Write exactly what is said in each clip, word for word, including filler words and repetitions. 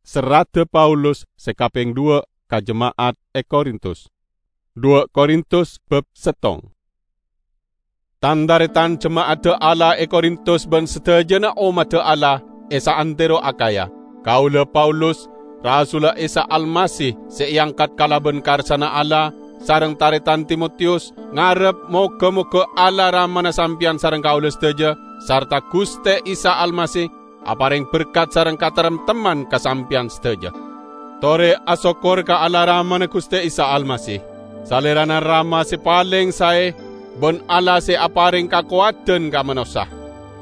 Serradda Paulus se kapeng dhuwa' ka jema'at e Korintus. Dhuwa' Korintus bab settong. Tan-taretan jema'adda Allah e Korintus ban sadajana ommadda Allah e saantero Akhaya. Kaula Paulus, rasulla Isa Almasih se eangkat kalaban karsana Allah, sareng taretan Timotiyus, ngarep moga-moga Allah Ramana sampeyan sareng kaula sadaja, sarta Guste Isa Almasih apareng berkat sareng kataremtemman ka sampeyan sadaja. Tore asokkor ka Allah Ramana Guste Isa Almasih, Salerana Rama se paleng sae, ban Allah se apareng kakowadan ka manossa.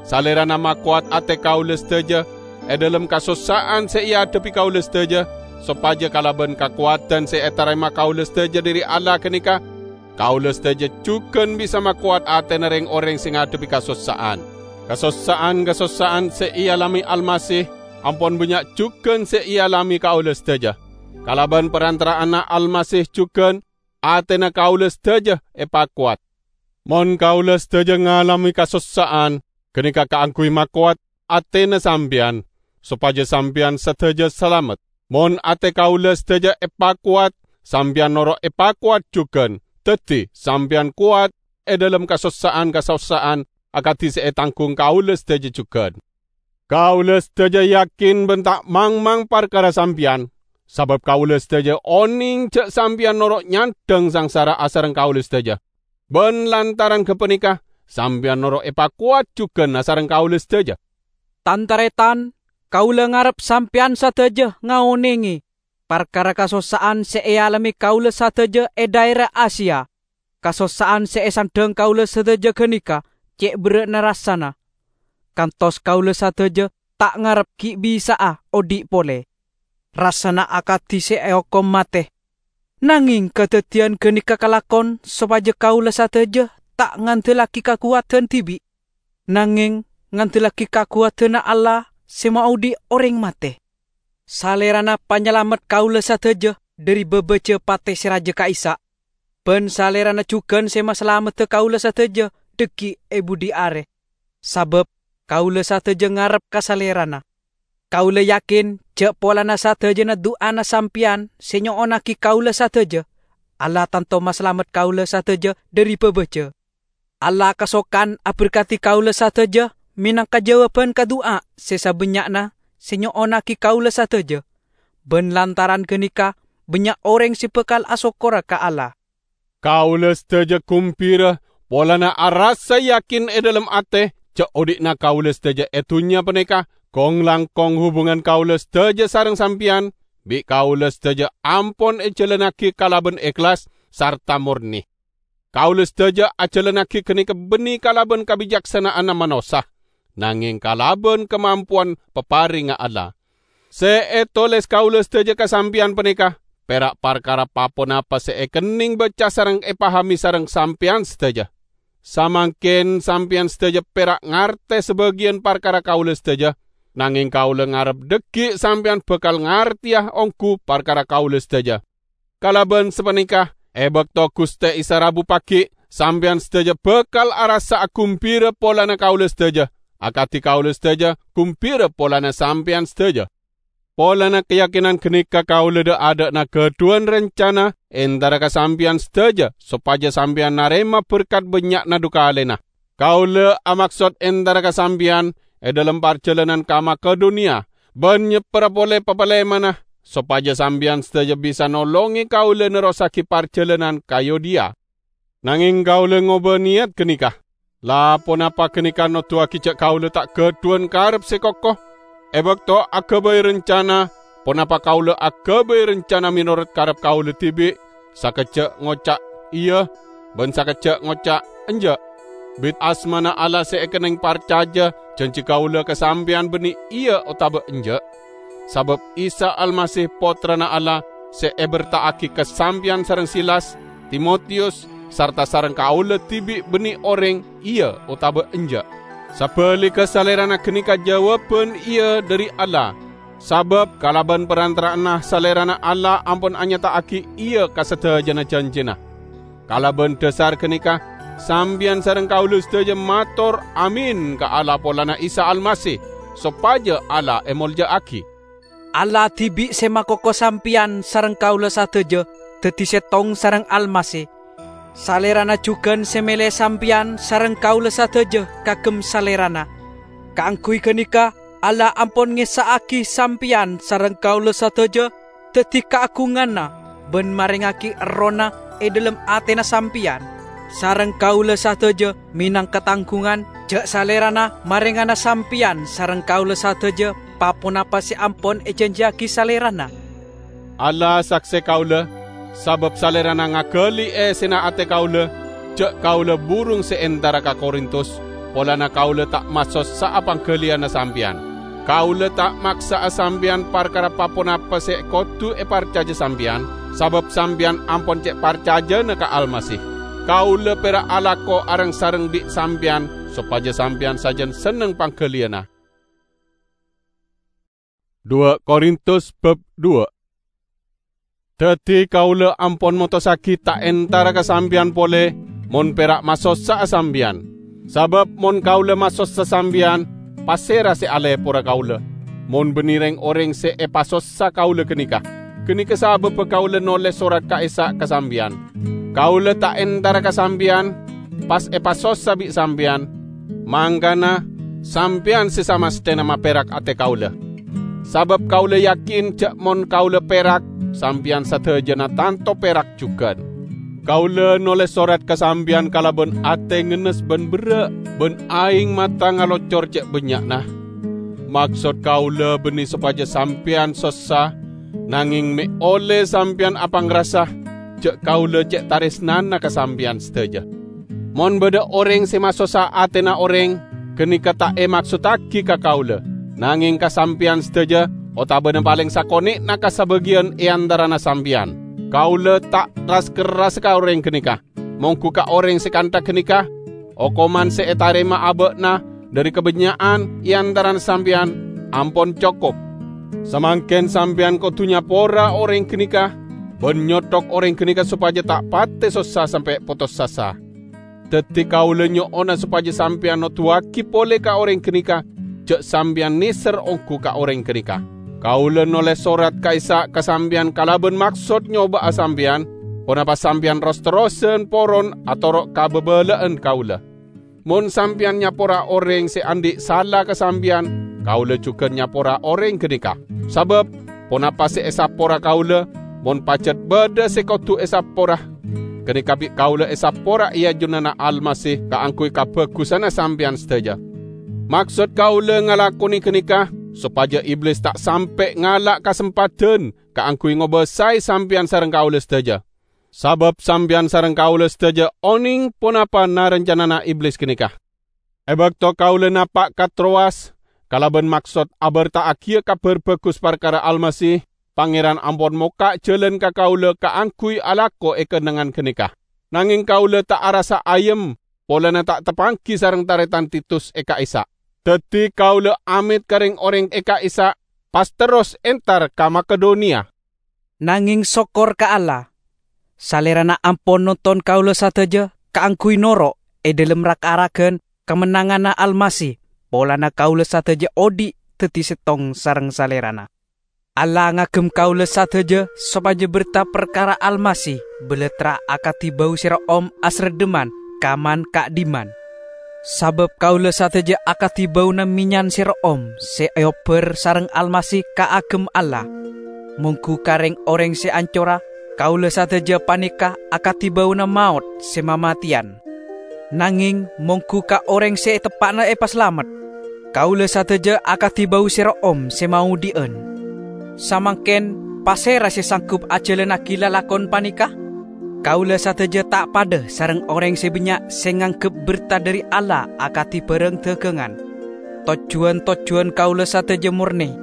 Salerana makowat ate kaula sadaja e dhalem kasossa'an se eadhebbi kaula sadaja, sopaja kalaban kakowadan se etarema kaula sadaja dhari Allah ganeka, kaula sadaja jugan bisa makowat atena reng-oreng se ngadhebbi kasossa'an. Kasossa'an-kasossa'an se ealame Almasih ampon bannya' jugan se ealame kaula sadaja. Kalaban parantara'anna Almasih jugan atena kaula sadaja epakowat. Mon kaula sadaja ngalame kasossa'an, ganeka kaangguy makowat atena sampeyan, sopaja sampeyan sadaja salamet. Mon ate kaula sadaja epakowat, sampeyan noro' epakowat jugan, daddi sampeyan kowat e dhalem kasossa'an-kasossa'an akadi se etanggung kaula sadaja jugan. Kaula sadaja yakin ban ta' mangmang parkara sampeyan, sabab kaula sadaja oneng ja' sampeyan noro' nyandhang sangsara asareng kaula sadaja. Ban lantaran gapaneka, sampeyan noro' epakowat jugan asareng kaula sadaja. Tan-taretan, kaula ngarep sampeyan sadaja ngaonenge parkara kasossa'an se ealame kaula sadaja e dhaera Asia. Kasossa'an se esandhang kaula sadaja ganeka ce' berra'na rassana, kantos kaula sadaja ta' ngarep gi' bisa'a odhi' pole. Rassana akadi se eokom mate. Nangeng kadaddiyan ganeka kalakon sopaja kaula sadaja ta' ngandellagi kakowadan dibi', nangeng ngandellagi kakowadanna Allah se maodhi' oreng mate. Salerana Panyalamet kaula sadaja dhari babaja pate se raja ka'issa', ban Salerana jugan se masalamedda kaula sadaja dhaggi' e budhi are, sabab kaula sadaja ngarep ka Salerana. Kaula yakin ja' polana sadajana du'ana sampeyan se nyo'onnagi kaula sadaja, Allah tanto masalamet kaula sadaja dhari babaja. Allah kasokan aberkadi kaula sadaja menangka jawaban ka du'a se sabannya'na se nyo'onnagi kaula sadaja, ban lantaran ganeka bannya' oreng se bakal asokkora ka Allah. Kaula sadaja gumbira polana arassa yakin e dhalem ate ja' odhi'na kaula sadaja e dunnya paneka kong-langkong hubungan kaula sadaja sareng sampeyan, bi' kaula sadaja ampon ejalannagi kalaban ehlas sarta morne. Kaula sadaja ajalannagi ganeka banne kalaban kabicaksana'anna manossa, nangeng kalaban kamampowan paparengnga Allah. Se etoles kaula sadaja ka sampeyan paneka pera' parkara pa-ponapa se ekenneng baca sareng epahame sareng sampeyan sadaja. Samangken sampeyan sadaja pera' ngarte sabagiyan parkara kaula sadaja, nangeng kaula ngarep dhaggi' sampeyan bakal ngarteya onggu parkara kaula sadaja. Kalaban sapaneka, e bakto Guste Isa rabu pagi', sampeyan sadaja bakal arassa'a gumbira polana kaula sadaja, akadi kaula sadaja gumbira polana sampeyan sadaja. Polana kayakinan ganeka kaula dha'-adha'na gadhuwan rancana entara ka sampeyan sadaja, sopaja sampeyan narema berkat bannya'na dhu kalena. Kaula amaksod entara ka sampeyan e dhalem parjalanan ka Makedoniya, ban nyeppera pole papalemana, sopaja sampeyan sadaja bisa nolonge kaula nerrossagi parjalanan ka Yudea. Nangeng kaula ngoba niyat ganeka. La ponapa ganeka noduwagi ja' kaula ta' gadhuwan karep se koko? E bakto agabay rancana, ponapa kaula agabay rancana menorot karep kaula dibi', sakejja' ngoca' "Iya", ban sakejja' ngoca' "Enja'"? Bit asmana Allah se ekenneng parcaja, janji kaula ka sampeyan banne "Iya" otaba "Enja'". Sabab Isa Almasih, Pottrana Allah, se eberta'agi ka sampeyan sareng Silas, Timotiyus, sarta sareng kaula dibi' banne oreng "Iya" otaba "Enja'". Sabaligga, Salerana ganeka jawaban "Iya" dhari Allah, sabab kalaban parantara'anna Salerana Allah ampon anyata'agi "Iya" ka sadajana janjina. Kalaban dhasar ganeka, sampeyan sareng kaula sadaja mator "Amin" ka Allah polana Isa Almasih, sopaja Allah emolja'agi. Allah dibi' se makoko sampeyan sareng kaula sadaja daddi settong sareng Almasih. Salerana jugan se mele sampeyan sareng kaula sadaja kagem Salerana. Kaangguy ganeka, Allah ampon ngessa'agi sampeyan sareng kaula sadaja daddi kaagunganna ban marengngagi Errohna e dhalem atena sampeyan. Sareng kaula sadaja menangka tanggungan ja' Salerana marengngana sampeyan sareng kaula sadaja pa-ponapa se ampon ejanjiyagi Salerana. Allah sakse kaula, sabab Salerana ngagali essena ate kaula, ja' kaula burung se entara ka Korintus, polana kaula ta' masossa'a panggaliyanna sampeyan. Kaula ta' maksa'a sampeyan parkara pa-ponapa se kodu eparcaja sampeyan, sabab sampeyan ampon ce' parcajana ka Almasih. Kaula pera' alako areng-sareng bi' sampeyan sopaja sampeyan sajan senneng panggaliyanna. Dua Korintus bab dua. Daddi kaula ampon motossagi ta' entara ka sampeyan pole, mon pera' masossa'a sampeyan. Sabab mon kaula masossa sampeyan, pasera se alepora kaula? Mon banne reng-oreng se epasossa kaula ganeka, ganeka sababba kaula noles sorat ka'issa' ka sampeyan. Kaula ta' entara ka sampeyan, pas epasossa bi' sampeyan, mangkana sampeyan se samasthena maperak ate kaula. Sabab kaula yakin ja' mon kaula perak, sampeyan sadajana tanto perak jugan. Kaula noles sorat ka sampeyan kalaban ate ngennes ban berra', ban aeng mata ngalocor ce' bannya'na. Maksod kaula banne sopaja sampeyan sossa, nangeng me' olle sampeyan apangrasa ja' kaula ce' taresnana ka sampeyan sadaja. Mon badha oreng se masossa atena oreng, ganeka ta' emaksoddagi ka kaula, nangeng ka sampeyan sadaja otabana paleng sakone'na ka sabagiyan e antarana sampeyan. Kaula ta' ras-kerras ka oreng ganeka. Monggu ka oreng se kantha ganeka, okoman se etarema aba'na dhari kabannya'an e antarana sampeyan ampon cokop. Samangken sampeyan kodu nyapora oreng ganeka ban nyothok oreng ganeka sopaja ta' pate sossa sampe' potos asa. Daddi kaula nyo'ona sopaja sampeyan noduwagi pole ka oreng ganeka ja' sampeyan neser onggu ka oreng ganeka. Kaula noles sorat ka'issa' ka sampeyan kalaban maksod nyoba'a sampeyan, ponapa sampeyan ros-terrosan poron atoro' kababala'an kaula. Mon sampeyan nyapora oreng se andhi' sala ka sampeyan, kaula jugan nyapora oreng ganeka. Sabab ponapa se esapora kaula, mon pajat badha se kodu esapora, ganeka bi' kaula esapora e ajunanna Almasih kaangguy kabagussanna sampeyan sadaja. Maksod kaula ngalakone ganeka sopaja Iblis ta' sampe' ngala' kasempadan kaangguy ngobasae sampeyan sareng kaula sadaja. Sabab sampeyan sareng kaula sadaja oneng ponapa na-rancanana Iblis ganeka. E bakto kaula napa' ka Trowas kalaban maksod aberta'agiya Kabar Bagus parkara Almasih, Pangeran ampon mokka' jalan ka kaula kaangguy alako e kennengngan ganeka. Nangeng kaula ta' arassa ayem polana ta' tapanggi sareng taretan Titus e ka'issa'. Daddi kaula amet ka reng-oreng e ka'issa', pas terros entar ka Makedoniya. Nangeng sokkor ka Allah, Salerana ampon nonton kaula sadaja kaangguy noro' e dhalem rag-aragan kamennanganna Almasih, polana kaula sadaja odhi' daddi settong sareng Salerana. Allah ngagem kaula sadaja sopaja berta parkara Almasih balattra akadi bau se ro'om asreddheman kaman ka'dhimman. Sabab kaula sadaja akadi bauna menyan se ro'om se eobbar sareng Almasih kaagem Allah. Monggu ka reng-oreng se ancora, kaula sadaja paneka akadi bauna maot se mamateyan. Nangeng monggu ka oreng se eteppa'na epasalamet, kaula sadaja akadi bau se ro'om se maodhi'an. Samangken, pasera se sanggup ajalannagi lalakon paneka? Kaula sadaja ta' padha sareng oreng se bannya' se nganggep berta dhari Allah akadi barang dagangan. Tojjuwan-tojjuwan kaula sadaja morne,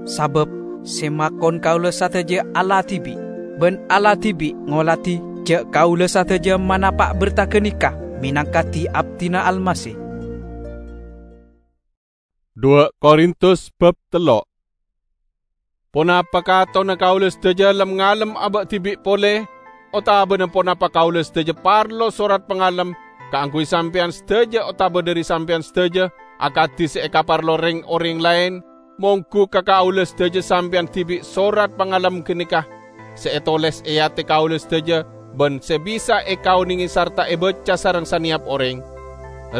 sabab se makon kaula sadaja Allah dibi', ban Allah dibi' ngoladi ja' kaula sadaja manapa' berta ganeka menangka di-abdina Almasih. Dua Korintus bab tello'. Ponapa katonna kaula sadaja lem-ngalem aba' dibi' pole, otabana ponapa kaula sadaja parlo sorat pangalem kaangguy sampeyan sadaja otaba dhari sampeyan sadaja, akadi se ekaparlo reng-oreng laen? Mongghu ka kaulâ sadhâjâ sampèyan dhibi' sorat pangalem ghânèka sè ètolès è atè kaulâ sadhâjâ bân sè bisa èkaonèngè sarta èbâca sareng sanèyap orèng.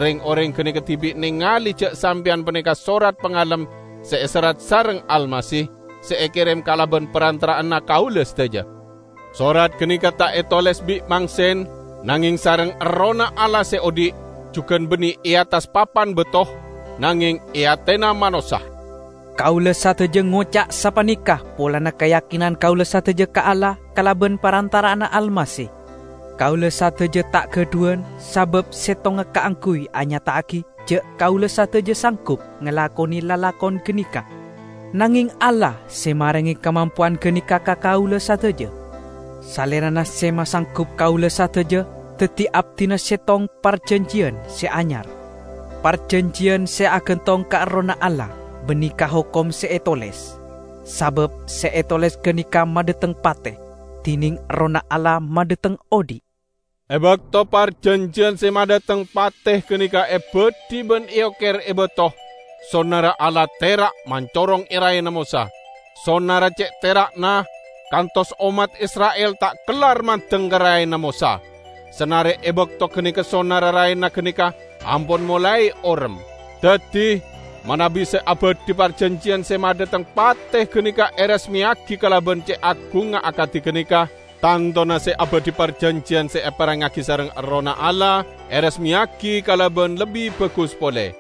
Rèng-orèng ghânèka dhibi' nèngalè jâ' sampèyan panèka sorat pangalem sè èserrat sareng Almasih, sè èkèrèm kalabân parantara'anna kaulâ sadhâjâ. Sorat ghânèka ta' ètolès bi' mangsen, nangèng sareng Errohna Allah sè odi', jhughân bânnè è attas papan bâto, nangèng è atèna manossa. Kaulâ sadhâjâ ngoca' sapanèka polana kayakinan kaulâ sadhâjâ ka Allah kalabân parantara'anna Almasih. Kaulâ sadhâjâ ta' ghâdhuwân, sabâb sèttonga kaangghuy anyata'aghi jâ' kaulâ sadhâjâ sanggup ngalakonè lalakon ghânèka. Nangèng Allah sè marèngè kamampowan ghânèka ka kaulâ sadhâjâ. Salèrana sè masanggup kaulâ sadhâjâ dhâddhi abdhina sèttong parjhânjhiyân sè anyar. Parjhânjhiyân sè agantong ka Errohna Allah, bânnè ka hokom sè ètolès. Sabâb sè ètolès ghânèka madhâteng patè, dhinèng Errohna Allah madhâteng odi'. È bâkto parjhânjhiyân sè madhâteng patè ghânèka èbâdhi bân èoker è bâto, sonarra Allah tèra' mancorong è raèna Mosa. Sonarra cè' tèra'na kantos ommat Isra'il ta' kellar mandeng ka raèna Mosa. Sanarè è bâkto ghânèka sonarra raèna ghânèka ampon molaè orèm. Dhâddhi, manabi sè abâdhi parjhânjhiyân sè madhâteng patè ghânèka èrasmèyaghi kalabân cè' agungnga akadhi ghânèka, tantona sè abâdhi parjhânjhiyân sè èparèngngaghi sareng Errohna Allah èrasmèyaghi kalabân lebbi bhâghus polè.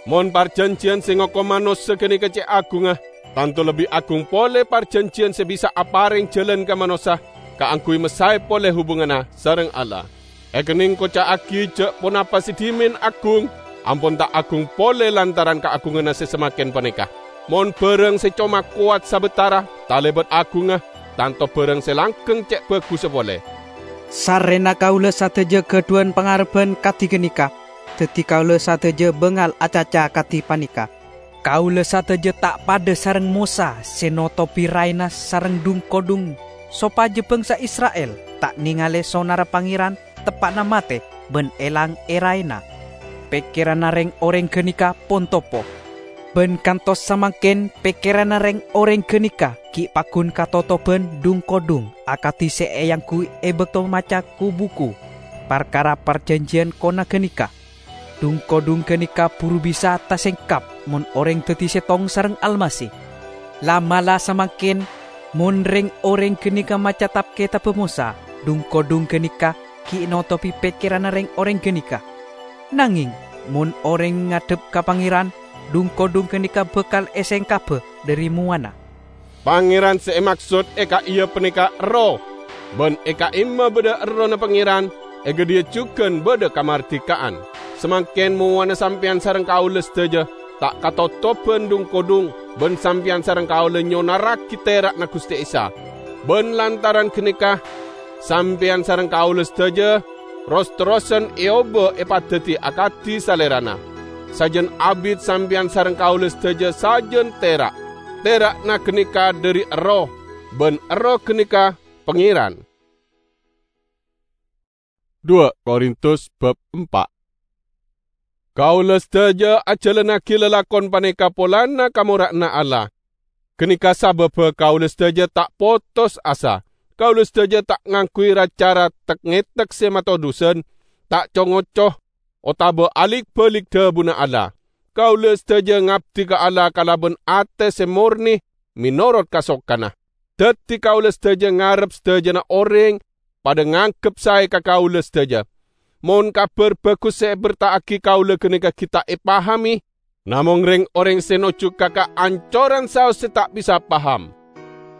Mon parjhânjhiyân sè ngokom manossa ghânèka cè' agungnga, tanto lebbi agung polè parjhânjhiyân sè bisa aparèng jhâlân ka manossa kaangghuy masaè polè hubunganna sareng Allah. Èkennèng koca'aghi jâ' ponapa sè dhimèn agung, ampon ta' agung polè lantaran kaagunganna sè samangkèn panèka. Mon bârâng sè coma kowat sabâtara talèbât agungnga, tanto bârâng sè langghâng cè' bhâghussa polè. Sarrèna kaulâ sadhâjâ ghâdhuwân pangarebbhân kadhi ghânèka, dhâddhi kaulâ sadhâjâ bângal acaca kadhi panèka. Kaulâ sadhâjâ ta' padâ sareng Mosa sè notobhi raèna sareng dhung-kodhung, sopajâ bhângsa Isra'il ta' nèngalè sonarra Pangèran teppa'na matè bân èlang è raèna. Pèkkèranna rèng-orèng ghânèka pon topo. Bân kantos samangkèn pèkkèranna rèng-orèng ghânèka ghi' paggun katotobhân dhung-kodhung akadhi sè èangghuy è bâkto maca ku-buku parkara parjhânjhiyân kona ghânèka. Dhung-kodhung ghânèka buru bisa tasèngkap mon orèng dhâddhi sèttong sareng Almasih. La'-mala' samangkèn, mon rèng-orèng ghânèka maca Tab-Kètabbhâ Mosa, dhung-kodhung ghânèka ghi' notobhi pèkkèranna rèng-orèng ghânèka. Nangèng, mon orèng ngadhep ka Pangèran, dhung-kodhung ghânèka bhâkal èsèngkabbhâ dhâri mowana. Pangèran sè èmaksod è ka'iyâ panèka Erroh, bân è ka'imma bâdâ Errohna Pangèran, è ghâdhiyâ jhughân bâdâ kamardhika'an. Samangkèn mowana sampèyan sareng kaulâ sadhâjâ ta' katotobhân dhung-kodhung, bân sampèyan sareng kaulâ nyonarraghi tèra'na Ghustè Isa. Bân lantaran ghânèka, sampèyan sareng kaulâ sadhâjâ ros-terrosan èobâ èpadhâddhi akadhi Salèrana. Sajân abit sampèyan sareng kaulâ sadhâjâ sajân tèra'. Tèra'na ghânèka dhâri Erroh, bân Erroh ghânèka Pangèran. Dua Korintus bab empa'. Kaulâ sadhâjâ ajhâlannaghi lalakon panèka polana kamora'anna Allah. Ghânèka sabâbbhâ kaulâ sadhâjâ ta' potos asa. Kaulâ sadhâjâ ta' ngangghuy ra-cara tek-ngètek sè matodusân, ta' co-ngoco, otabâ alik-bâlik dhâbuna Allah. Kaulâ sadhâjâ ngabdi ka Allah kalabân atè sè mornè mènorot kasokanna. Dhâddhi kaulâ sadhâjâ ngarep sadhâjâna orèng padâ nganggep saè ka kaulâ sadhâjâ. Mon Kabhâr Bhâghus sè èberta'aghi kaulâ ghânèka ghi' ta' èpahamè, namong rèng-orèng sè nojjhu ka kaancoran saos sè ta' bisa paham.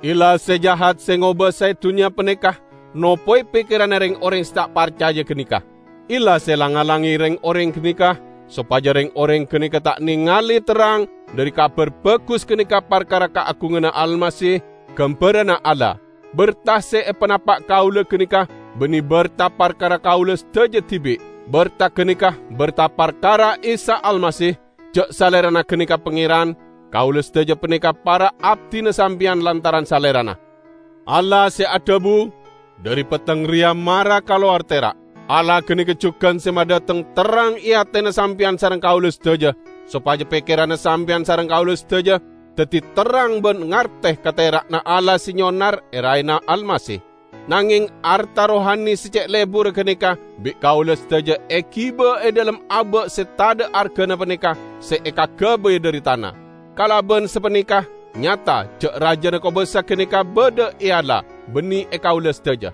Ella sè jahat sè ngobâsaè dhunnya panèka nopoè pèkkèranna rèng-orèng sè ta' parcajâ ghânèka. Ella sè lang-ngalangè rèng-orèng ghânèka, sopajâ rèng-orèng ghânèka ta' nèngalè terrang dhâri Kabhâr Bhâghus ghânèka parkara kaagunganna Almasih, ghâmbhârânna Allah. Bhertah sè èpanapa' kaulâ ghânèka bânnè bhertah parkara kaulâ sadhâjâ dhibi'. Bhertah ghânèka bhertah parkara Isa Almasih, jâ' Salèrana ghânèka Pangèran, kaulâ sadhâjâ panèka para' abdhina sampèyan lantaran Salèrana. Allah sè adhâbu, "Dhâri petteng rèya mara kalowar tèra'." Allah ghânèka jhughân sè madhâteng terrang è atèna sampèyan sareng kaulâ sadhâjâ, sopajâ pèkkèranna sampèyan sareng kaulâ sadhâjâ daddi terrang ban ngarte ka tera'na Allah se nyonar e raena Almasih. Nangeng arta rohani se ce' leburra ganeka bi' kaula sadaja egiba e dhalem aba' se tadha' argana paneka se ekagabay dhari tana. Kalaban sapaneka, nyata ja' rajana kobasa ganeka badha e Allah, banne e kaula sadaja.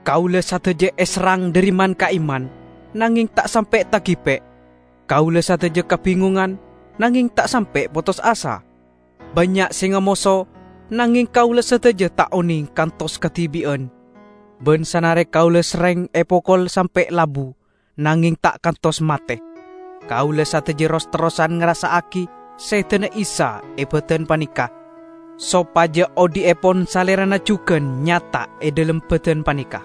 Kaula sadaja eserrang dhari man-ka'imman, nangeng ta' sampe' tagipe'. Kaula sadaja kabingongan, nangeng ta' sampe' potos asa. Bannya' se ngamoso, nangeng kaula sadaja ta' oneng kantos kadibi'an. Ban sanare kaula serreng epokol sampe' labu, nangeng ta' kantos mate. Kaula sadaja ros-terrosan ngrassa'agi sedana Isa e badan paneka, sopaja odhi'epon Salerana jugan nyata e dhalem badan paneka.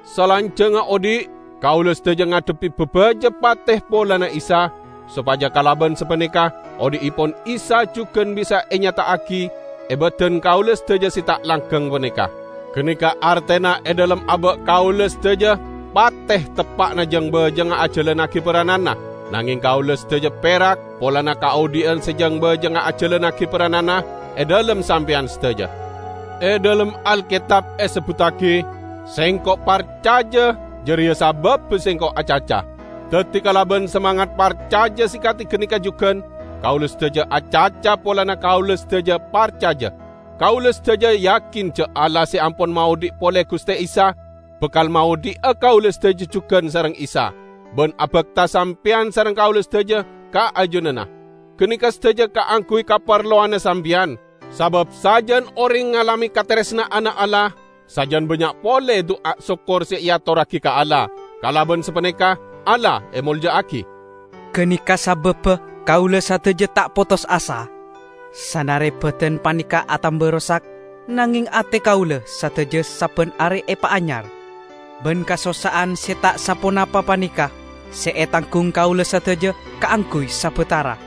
Salanjangnga odhi', kaula sadaja ngadhebbi babaja pate polana Isa, sopaja kalaban sapaneka odhi'epon Isa jugan bisa enyata'agi e badan kaula sadaja se ta' langgang paneka. Ganeka artena e dhalem aba' kaula sadaja pate teppa'na jang-bajangnga ajalannagi paranana, nangeng kaula sadaja perak polana kaodhi'an se jang-bajangnga ajalannagi paranana e dhalem sampeyan sadaja. E dhalem Alketab esebbuttagi, "Sengko' parcaja, jareya sababba sengko' acaca." Daddi, kalaban samangat parcaja se kadi ganeka jugan, kaula sadaja acaca polana kaula sadaja parcaja. Kaula sadaja yakin ja' Allah se ampon maodhi' pole Guste Isa, bakal maodhi'a kaula sadaja jugan sareng Isa, ban abakta sampeyan sareng kaula sadaja ka ajunanna. Ganeka sadaja kaangguy kaparlowanna sampeyan, sabab sajan oreng ngalame kataresna'anna Allah, sajan bannya' pole du'a sokkor se eatorragi ka Allah. Kalaban sapaneka, Allah emolja'agi. Ganeka sababba kaula sadaja ta' potos asa. Sanare badan paneka atamba rosak, nangeng ate kaula sadaja sabban are epaanyar. Ban kasossa'an se ta' saponapa paneka se etanggung kaula sadaja kaangguy sabatara,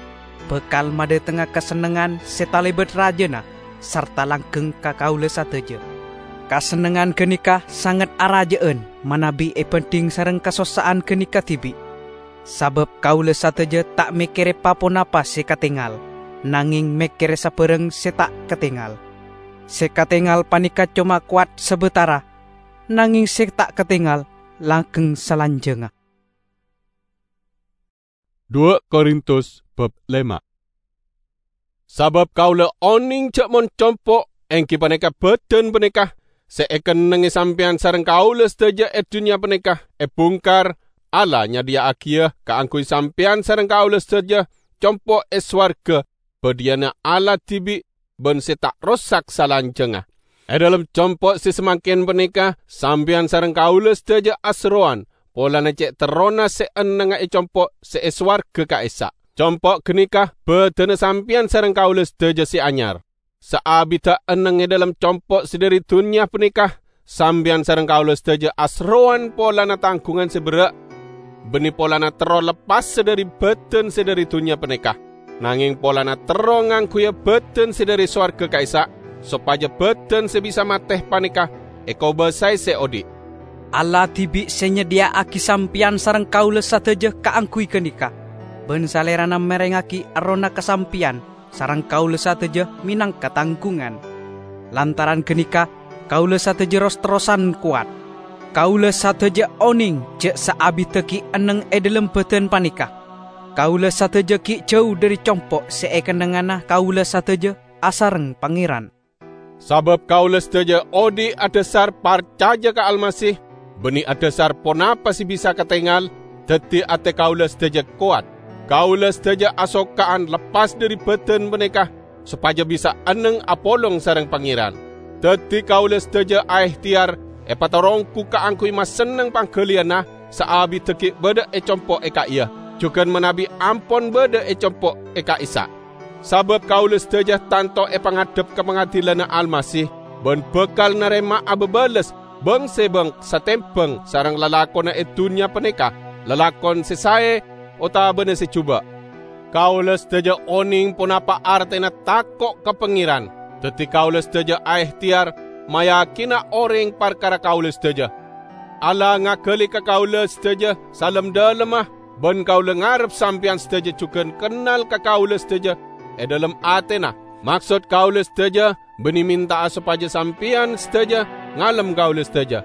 bakal madhatengnga kasennengngan se talebat rajana sarta langgeng ka kaula sadaja. Kasennengngan ganeka sanget araja'an manabi ebandhing sareng kasossa'an ganeka dibi'. Sabab kaula sadaja ta' mekkere pa-ponapa se katengal, nangeng mekkere sabarang se ta' katengal. Se katengal paneka coma kowat sabatara, nangeng se ta' katengal langgeng salanjangnga. Dua Korintus bab lema. Sabab kaula oneng ja' mon compo', enggi paneka badan paneka se ekennengnge sampeyan sareng kaula sadaja e dunnya paneka ebungkar, Allah nyadhiya'agiya kaangguy sampeyan sareng kaula sadaja compo' e sowarga, badhiyana Allah dibi' ban se ta' rosak salanjangnga. E dhalem compo' se samangken paneka, sampeyan sareng kaula sadaja aserrowan polana ce' terrona se ennengnga e compo' se e sowarga ka'issa'. Compo' ganeka badanna sampeyan sareng kaula sadaja se anyar. Saabidda enneng e dhalem compo' se dhari dunnya paneka, sampeyan sareng kaula sadaja aserrowan polana tanggungan se berra', banne polana terro leppassa dhari badan se dhari dunnya paneka, nangeng polana terro ngangguya badan se dhari sowarga ka'issa', sopaja badan se bisa mate paneka ekobasae se odhi'. Allah dibi' se nyadhiya'agi sampeyan sareng kaula sadaja kaangguy ganeka, ban Salerana merengngagi Errohna ka sampeyan sareng kaula sadaja menangka tanggungan. Lantaran ganeka, kaula sadaja ros-terrosan kowat. Kaula sadaja oneng ja' saabidda gi' enneng e dhalem badan paneka. Kaula sadaja gi' jau dhari compo' se ekennengngana kaula sadaja asareng Pangeran. Sabab kaula sadaja odhi' adhasar parcaja ka Almasih, banne adhasar ponapa se bisa katengal, daddi ate kaula sadaja kowat. Kaula sadaja asokka'an leppas dhari badan paneka, sopaja bisa enneng apolong sareng Pangeran. Daddi kaula sadaja aehteyar epataronggu kaangguy masenneng panggaliyanna saabidda gi' badha e compo' e ka'iya, jugan manabi ampon badha e compo' e ka'issa'. Sabab kaula sadaja tanto epangadhep ka pangadilanna Almasih, ban bakal narema'a babales bang-sebang satembang sareng lalakonna e dunnya paneka, lalakon se sae otabana se juba'. Kaula sadaja oneng ponapa artena tako' ka Pangeran, daddi kaula sadaja aehteyar mayakina oreng parkara kaula sadaja. Allah ngagali ka kaula sadaja salem-dhalemma, ban kaula ngarep sampeyan sadaja jugan kennal ka kaula sadaja e dhalem atena. Maksod kaulâ sadhâjâ bânnè mènta'a sopajâ sampèyan sadhâjâ ngalem kaulâ sadhâjâ.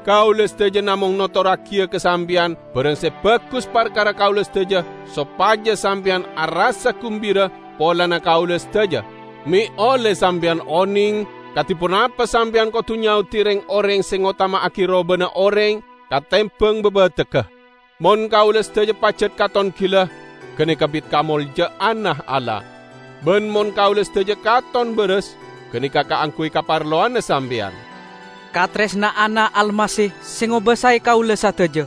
Kaulâ sadhâjâ namong notorraghiyâ ka sampèyan bârâng sè bhâghus parkara kaulâ sadhâjâ, sopajâ sampèyan arassa gumbira polana kaulâ sadhâjâ. Mè' ollè sampèyan onèng kadhi ponapa sampèyan kodhu nyaodi rèng-orèng sè ngotama'aghi robâna orèng katèmbhâng bâbâdâgghâ. Mon kaulâ sadhâjâ pajhât katon ghilâ, ghânèka bit kamoljâ'ânna Allah. Bân mon kaulâ sadhâjâ katon bârâs, ghânèka kaangghuy kaparlowanna sampèyan. Katarèsna'anna Almasih sè ngobâsaè kaulâ sadhâjâ,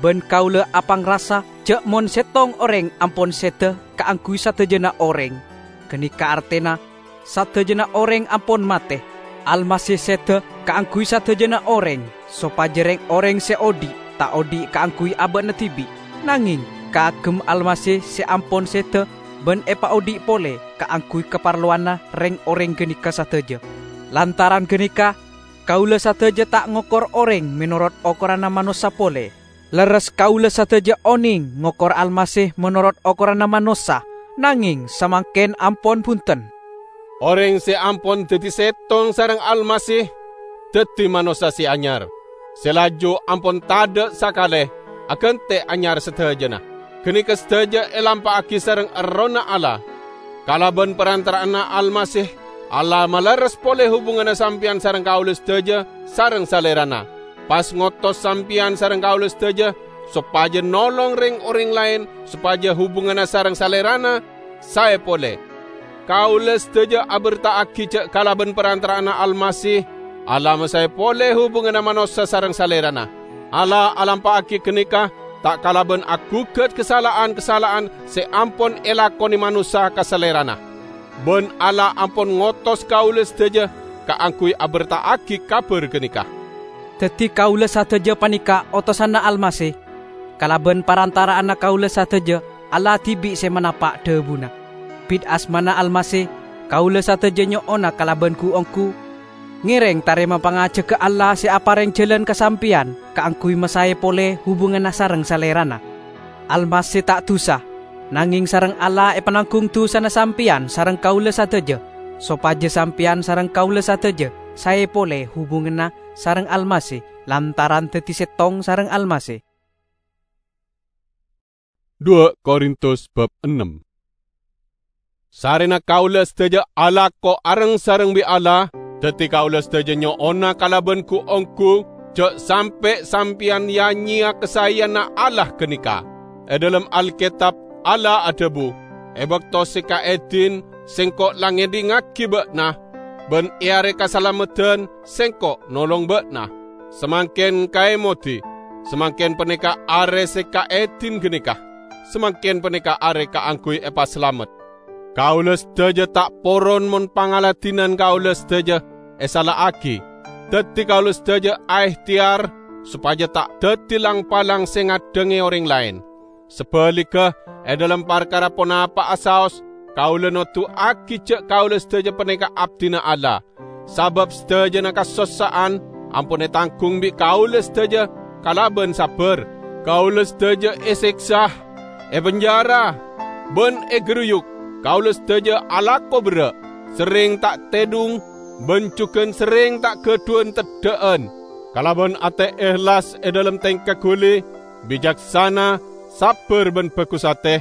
bân kaulâ apangrasa jâ' mon sèttong orèng ampon sèdhâ kaangghuy sadhâjâna orèng, ghânèka artèna sadhâjâna orèng ampon matè. Almasih sèdhâ kaangghuy sadhâjâna orèng, sopajâ rèng-orèng sè odi' ta' odi' kaangghuy abâ'na dhibi', nangèng kaagem Almasih sè ampon sèdhâ bân èpaodi' polè kaangghuy kaparlowanna rèng-orèng ghânèka sadhâjâ. Lantaran ghânèka, kaulâ sadhâjâ ta' ngokor orèng mènorot okoranna manossa polè. Lerres kaulâ sadhâjâ onèng ngokor Almasih mènorot okoranna manossa, nangèng samangkèn ampon bhunten. Orèng sè ampon dhâddhi sèttong sareng Almasih dhâddhi manossa sè anyar, sè laju ampon tadâ' sakalè aghântè anyar sadhâjâna. Ghânèka sadhâjâ èlampa'aghi sareng Errohna Allah. Kalabân parantara'anna Almasih, Allah malerres polè hubunganna sampèyan sareng kaulâ sadhâjâ sareng Salèrana, pas ngotos sampèyan sareng kaulâ sadhâjâ sopajâ nolong rèng-orèng laèn sopajâ hubunganna sareng Salèrana saè polè. Kaulâ sadhâjâ abherta'aghi jâ' kalabân parantara'anna Almasih, Allah masaè polè hubunganna manossa sareng Salèrana. Allah alampa'aghi ghânèka ta' kalabân aghugât kasala'an-kasala'an sè ampon èlakonè manossa ka Salèrana. Bân Allah ampon ngotos kaulâ sadhâjâ kaangghuy abherta'aghi kabhâr ghânèka. Dhâddhi kaulâ sadhâjâ panèka otosanna Almasih. Kalabân parantara'anna kaulâ sadhâjâ, Allah dhibi' sè manapa' dhâbuna. Bit asmana Almasih, kaulâ sadhâjâ nyo'ona kalabân ghu-ongghu, ngèrèng tarèma pangajhâghâ Allah sè aparèng jhâlân ka sampèyan kaangghuy masaè polè hubunganna sareng Salèrana. Almasih ta' dusa, nangèng sareng Allah èpananggung dusana sampèyan sareng kaulâ sadhâjâ, sopajâ sampèyan sareng kaulâ sadhâjâ saè polè hubunganna sareng Almasih lantaran dhâddhi sèttong sareng Almasih. Dua Korintus bab ennem. Sarrèna kaulâ sadhâjâ alako areng-sareng bi' Allah, dhâddhi kaulâ sadhâjâ nyo'ona kalabân ghu-ongghu jâ' sampè' sampèyan ya-nyèya kasaèyanna Allah ghânèka. È dhâlem Alkètab, Allah adhâbu, "È bâkto sè kaèdhin, Sèngko' la ngèdhingngaghi bâ'na, bân è arè kasalameddhân Sèngko' nolong bâ'na." Samangkèn kaèmodhi, samangkèn panèka arè sè kaèdhin ghânèka. Samangkèn panèka arè kaangghuy èpasalamet. Kaulâ sadhâjâ ta' poron mon pangaladdhinan kaulâ sadhâjâ èsala'aghi. Dhâddhi kaulâ sadhâjâ aèhtèyar sopajâ ta' dhâddhi lang-palang sè ngaddhângè orèng laèn. Sabhâligghâ, è dhâlem parkara ponapa'a saos, kaulâ noduwâghi jâ' kaulâ sadhâjâ panèka abdhina Allah. Sabâb sadhâjâna kasossa'an ampon ètangghung bi' kaulâ sadhâjâ kalabân sabbhâr. Kaulâ sadhâjâ èsèksa, èpenjara, bân ègâruyuk. Kaulâ sadhâjâ alako berrâ', serrèng ta' tèdhung, bân jhughân serrèng ta' ghâdhuwân teddhâ'ân. Kalabân atè èhlas è dhâlem tèngka ghuli, bicaksana, sabbhâr bân bhâghus atè,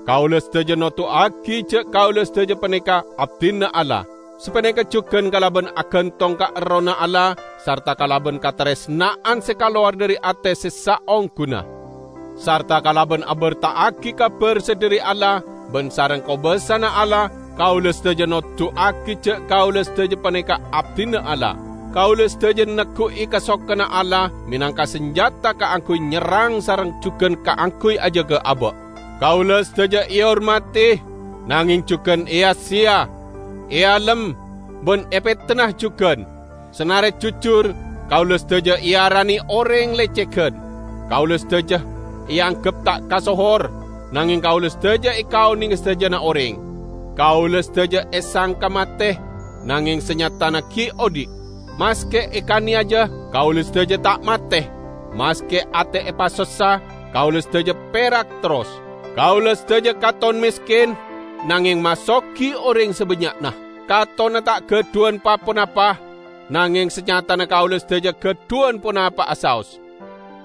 kaulâ sadhâjâ noduwâghi jâ' kaulâ sadhâjâ panèka abdhina Allah, sapanèka jhughân kalabân aghântong ka Errohna Allah sarta kalabân katarèsna'an sè kalowar dhâri atè sè saongghuna, sarta kalabân abherta'aghi kabhâr sè dhâri Allah bân sareng kobâsana Allah, kaulâ sadhâjâ noduwâghi jâ' kaulâ sadhâjâ panèka abdhina Allah. Kaulâ sadhâjâ negghu'i kasokanna Allah mènangka sanjhâta kaangghuy nyerrang sareng jhughân kaangghuy ajâgâ abâ'. Kaulâ sadhâjâ èhormadhi, nangèng jhughân èya-sèya, èalem, bân èpètena jhughân. Sanarè jujur, kaulâ sadhâjâ èarani orèng lècèghân. Kaulâ sadhâjâ èangghep ta' kasohor, nangèng kaulâ sadhâjâ èkaonèngè sadhâjâna orèng. Kaulâ sadhâjâ èsangka matè, nangèng sanyatana ghi' odhi'. Maskè èkanèyaja, kaulâ sadhâjâ ta' matè. Maskè atè èpasossa, kaulâ sadhâjâ pèrak terros. Kaulâ sadhâjâ katon mèskèn, nangèng masogi orèng sabânnya'na. Katona ta' gadhuwan pa-ponapa, nangeng sanyatana kaula sadaja gadhuwan ponapa'a saos.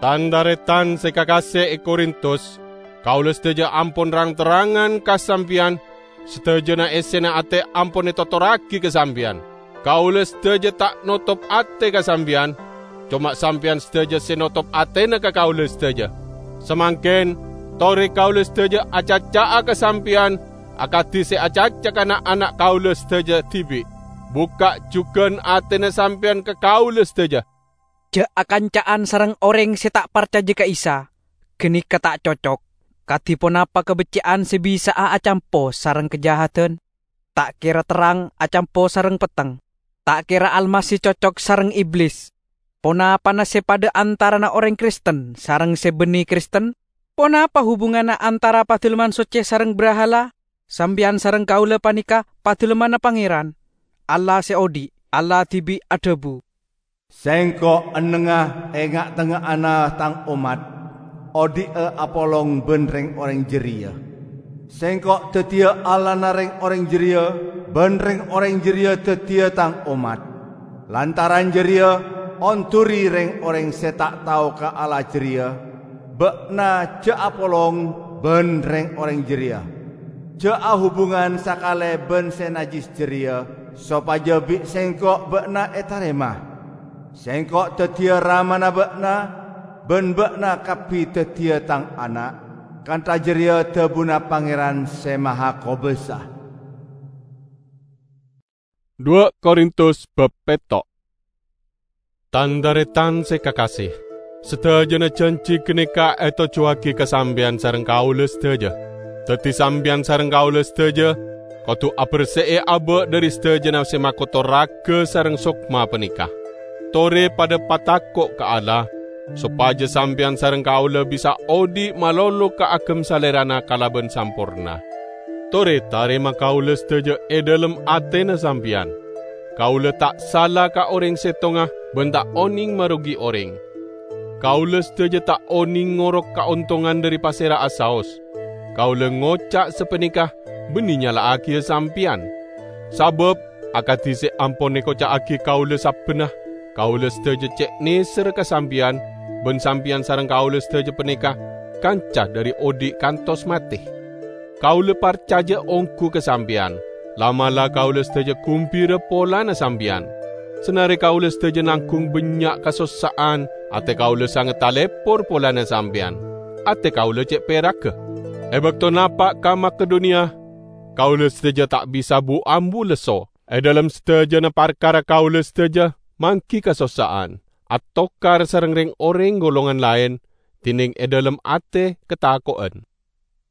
Tan-taretan se kakase e Korintus, kaula sadaja ampon rang-terrangan ka sampeyan, sadajana essena ate ampon etotorragi ka sampeyan. Kaula sadaja ta' notop ate ka sampeyan, coma sampeyan sadaja se notop atena ka kaula sadaja. Samangken, tore kaula sadaja acaca'a ka sampeyan akadi se acaca ka na'-ana' kaula sadaja dibi'. Bukka' jugan atena sampeyan ka kaula sadaja. Ja' akanca'an sareng oreng se ta' parcaja ka Isa, ganeka ta' cocok. Kadi ponapa kabecce'an se bisa'a acampo sareng kajahadan? Ta' kera terrang acampo sareng petteng? Ta' kera Almasih cocok sareng Iblis? Ponapana se padha antarana oreng Kristen sareng se banne Kristen? Ponapa hubunganna antara Padalemman Socce sareng brahala? Sampeyan sareng kaula paneka Padalemmanna Pangeran, Allah se odhi'. Allah dibi' adhabu, "Sengko' ennengnga e nga'-tengnga'anna Tang ommat, odhi'a apolong ban reng-oreng jareya. Sengko' daddiya Allahna reng-oreng jareya, ban reng-oreng jareya daddiya Tang ommat. Lantaran jareya, onduri reng-oreng se ta' tao ka Allah jareya. Ba'na ja' apolong ban reng-oreng jareya. Ja' ahubungan sakale ban se najjis jareya, sopaja bi' Sengko' ba'na etarema. Sengko' daddiya Ramana ba'na, ban ba'na kabbi daddiya Tang ana'." Kantha jareya dhabuna Pangeran Se Mahakobasa. Dua Korintus bab petto'. Tan-taretan se kakase, sadajana janji ganeka etojjuwagi ka sampeyan sareng kaula sadaja. Daddi sampeyan sareng kaula sadaja kodu aberse'e aba' dhari sadajana se makotor raga sareng sokma paneka. Tore padha patako' ka Allah, sopaja sampeyan sareng kaula bisa odhi' malolo kaagem Salerana kalaban samporna. Tore tarema kaula sadaja e dhalem atena sampeyan. Kaula ta' sala ka oreng settonga ban ta' oneng marogi oreng. Kaula sadaja ta' oneng ngorok kaontongan dhari pasera'a saos. Kaula ngoca' sapaneka banne nyala'agiya sampeyan. Sabab, akadi se ampon ekoca'agi kaula sabbhânna, kaula sadaja ce' neserra ka sampeyan, ban sampeyan sareng kaula sadaja paneka kanca dhari odhi' kantos mate. Kaula parcaja onggu ka sampeyan, la'-mala' kaula sadaja gumbira polana sampeyan. Sanare kaula sadaja nanggung bannya' kasossa'an, ate kaula sanget talepor polana sampeyan. Ate kaula ce' peragga. E bakto napa' ka Makedoniya, kaula sadaja ta' bisa bu-ambu lesso. E dhalem sadajana parkara kaula sadaja manggi kasossa'an, atokar sareng reng-oreng golongan laen, dineng e dhalem ate katako'en.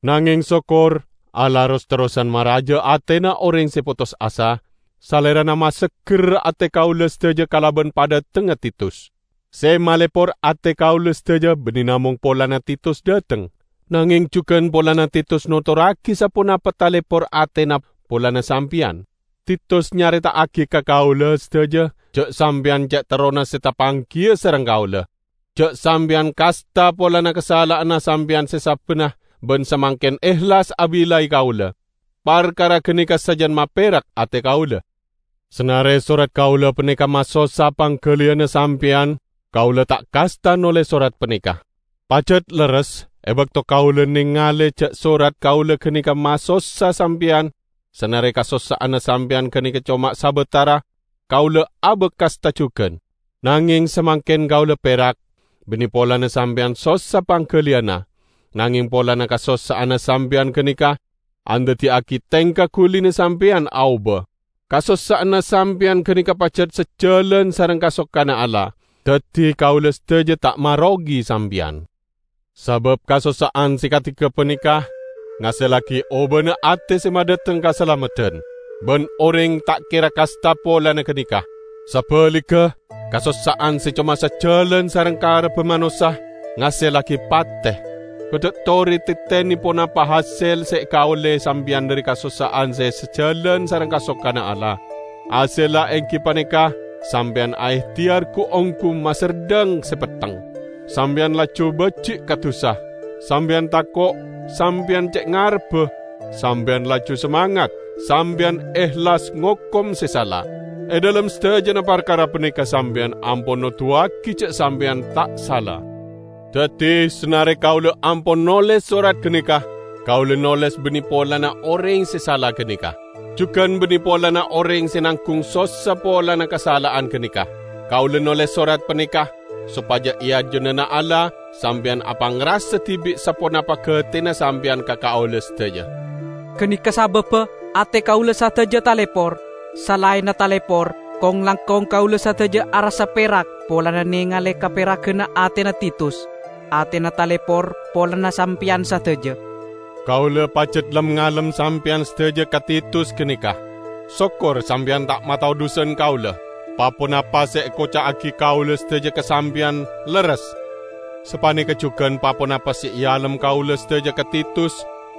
Nangeng sokkor, Allah ros-terrosan maraja atena oreng se potos asa, Salerana masegger ate kaula sadaja kalaban padhatengnga Titus. Se malepor ate kaula sadaja banne namong polana Titus dhateng, nangeng jugan polana Titus notorragi saponapa talepor atena polana sampeyan. Titus nyareta'agi ka kaula sadaja ja' sampeyan ce' terrona se tapanggiya sareng kaula. Ja' sampeyan kasta polana kasala'anna sampeyan se sabbhânna ban samangken ehlas abilai kaula. Parkara ganeka sajan maperak ate kaula. Sanare sorat kaula paneka masossa panggaliyanna sampeyan, kaula ta' kasta noles sorat paneka. Pajat lerres, e bakto kaula nengale ja' sorat kaula ganeka masossa sampeyan, sanare kasossa'anna sampeyan ganeka coma sabatara, kaula abakasta jugan. Nangeng samangken kaula perak, banne polana sampeyan sossa panggaliyanna, nangeng polana kasossa'anna sampeyan ganeka andaddiyagi tengka gulina sampeyan aoba. Kasossa'anna sampeyan ganeka pajat sajalan sareng kasokkana Allah, daddi kaula sadaja ta' marogi sampeyan. Sabab kasossa'an se kadi gapaneka ngasellagi obana ate se madhateng kasalameddhan, ban oreng ta' kera kasta polana ganeka. Sabaligga, kasossa'an se coma sajalan sareng karebba manossa ngasellagi pate. Kodhu tore tetene ponapa hasel se ekaolle sampeyan dhari kasossa'an se sajalan sareng kasokkana Allah. Hasella enggi paneka sampeyan aehteyar gu-onggu maserdhang se petteng. Sampeyan laju baji' ka dusa. Sampeyan tako', sampeyan ce' ngarebba, sampeyan laju samangat. sampeyan ehlas ngokom se sala. E dhalem sadajana parkara paneka sampeyan ampon noduwagi ja' sampeyan ta' sala. Daddi, sanare kaula ampon noles sorat ganeka, kaula noles banne polana oreng se sala ganeka, jugan banne polana oreng se nanggung sossa polana kasala'an ganeka. Kaula noles sorat paneka sopaja e ajunanna Allah sampeyan apangrasa dibi' saponapa gatena sampeyan ka kaula sadaja. Ganeka sababba ate kaula sadaja talepor. Salaenna talepor, kong-langkong kaula sadaja arassa perak polana nengale kaperaganna atena Titus. Atena talepor polana sampeyan sadaja. Kaula pajat lem-ngalem sampeyan sadaja ka Titus ganeka. Sokkor sampeyan ta' matao dusan kaula. Pa-ponapa se ekoca'agi kaula sadaja ka sampeyan lerres. Sapaneka jugan pa-ponapa se ealem kaula sadaja ka Titus,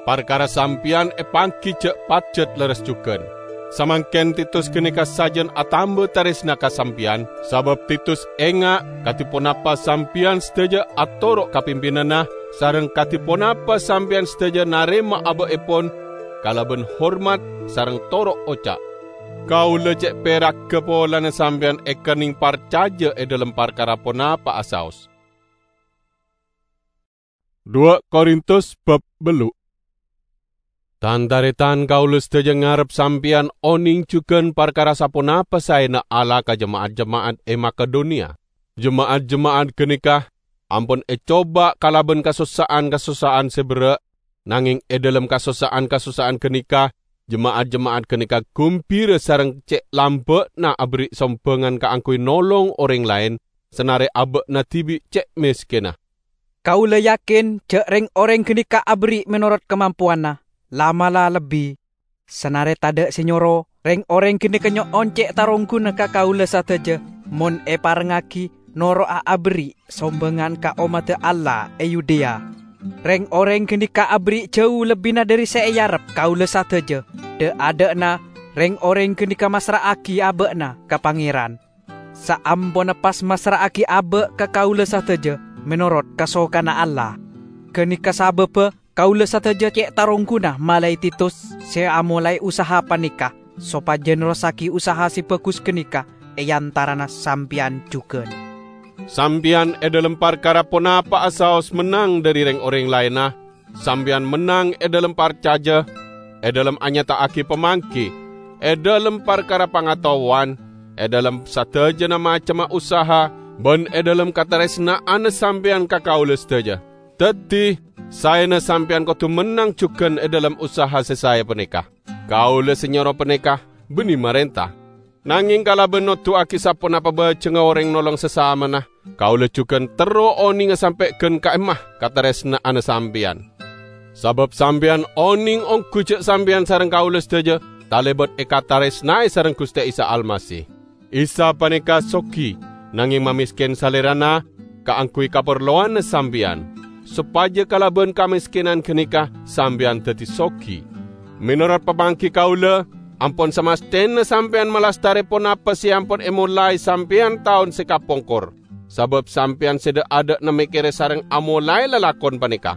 parkara sampeyan epanggi ja' pajat lerres jugan. Samangken Titus ganeka sajan atamba taresna ka sampeyan, sabab Titus enga' kadi ponapa sampeyan sadaja atoro' ka pimpinanna, sareng kadi ponapa sampeyan sadaja narema aba'epon kalaban hormat sareng toro' oca'. Kaula ce' peragga polana sampeyan ekenneng parcaja e dhalem parkara ponapa'a saos. Dua Korintus bab bellu'. Tan-taretan kaula sadaja ngarep sampeyan oneng jugan parkara saponapa saena Allah ka jema'at-jema'at e Makedoniya. Jema'at-jema'at ganeka ampon ecoba kalaban kasossa'an-kasossa'an se berra', nangeng e dhalem kasossa'an-kasossa'an ganeka, jema'at-jema'at ganeka gumbira sareng ce' lamba'na aberri' sombangan kaangguy nolong oreng laen, sanare aba'na dibi' ce' meskenna. Kaula yakin ja' reng-oreng ganeka aberri' menorot kamampowanna, la'-mala' lebbi. Sanare tadha' se nyoro, reng-oreng ganeka nyo'on ce' tarongguna ka kaula sadaja, mon eparengngagi noro'a aberri' sombangan ka ommadda Allah e Yudea. Reng-oreng ganeka aberri' jau lebbina dhari se earep kaula sadaja. Dha'-adha'na reng-oreng ganeka massra'agi aba'na ka Pangeran. Saamponna pas massra'agi aba' ka kaula sadaja menorot kasokanna Allah. Ganeka sababba kaula sadaja ce' tarongguna malae Titus se amolae usaha paneka, sopaja nerrossagi usaha se bagus ganeka e antarana sampeyan jugan. Sampeyan e dhalem parkara ponapa'a saos mennang dhari reng-oreng laenna, sampeyan mennang e dhalem parcaja, e dhalem anyata'agi pamanggi, e dhalem parkara pangataowan, e dhalem sadajana macemma usaha, ban e dhalem kataresna'anna sampeyan ka kaula sadaja. Daddi, saena sampeyan kodu mennang jugan e dhalem usaha se sae paneka. Kaula se nyoro paneka banne marenta. Nangeng kalaban noduwagi saponapa bajengnga oreng nolong sasamana, kaula jugan terro onenga sampe' gan ka'emma kataresna'anna sampeyan. Sabab sampeyan oneng onggu ja' sampeyan sareng kaula sadaja talebat ekataresnae sareng Guste Isa Almasih. Isa paneka sogi, nangeng mamesken Salerana kaangguy kaparlowanna sampeyan, sopaja kalaban kameskenan ganeka sampeyan daddi sogi. Menorot pamanggi kaula, ampon samastena sampeyan malastare ponapa se ampon emolae sampeyan taon se kapongkor, sabab sampeyan se dha'-adha'na mekkere sareng amolae lalakon paneka.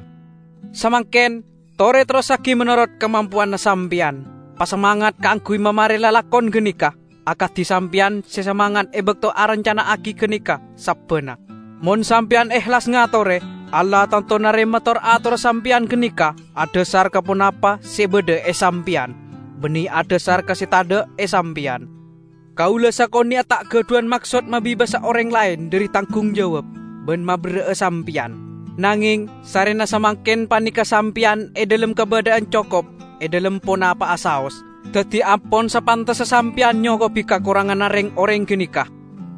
Samangken, tore terrossagi menorot kamampowanna sampeyan. Pasamangat kaangguy mamare lalakon ganeka, akadi sampeyan se samangat e bakto arancana'agi ganeka sabbana. Mon sampeyan ehlas ngatore, Allah tanto narema tor-atorra sampeyan ganeka adhasar ka ponapa se badha e sampeyan, banne adhasar ka se tadha' e sampeyan. Kaula sakone'a ta' gadhuwan maksod mabebasa oreng laen dhari tanggung jawab ban maberra'a sampeyan. Nangeng, sarrena samangken paneka sampeyan e dhalem kabadha'an cokop e dhalem ponapa'a saos. Daddi ampon sapantessa sampeyan nyokobi kakoranganna reng-oreng ganeka.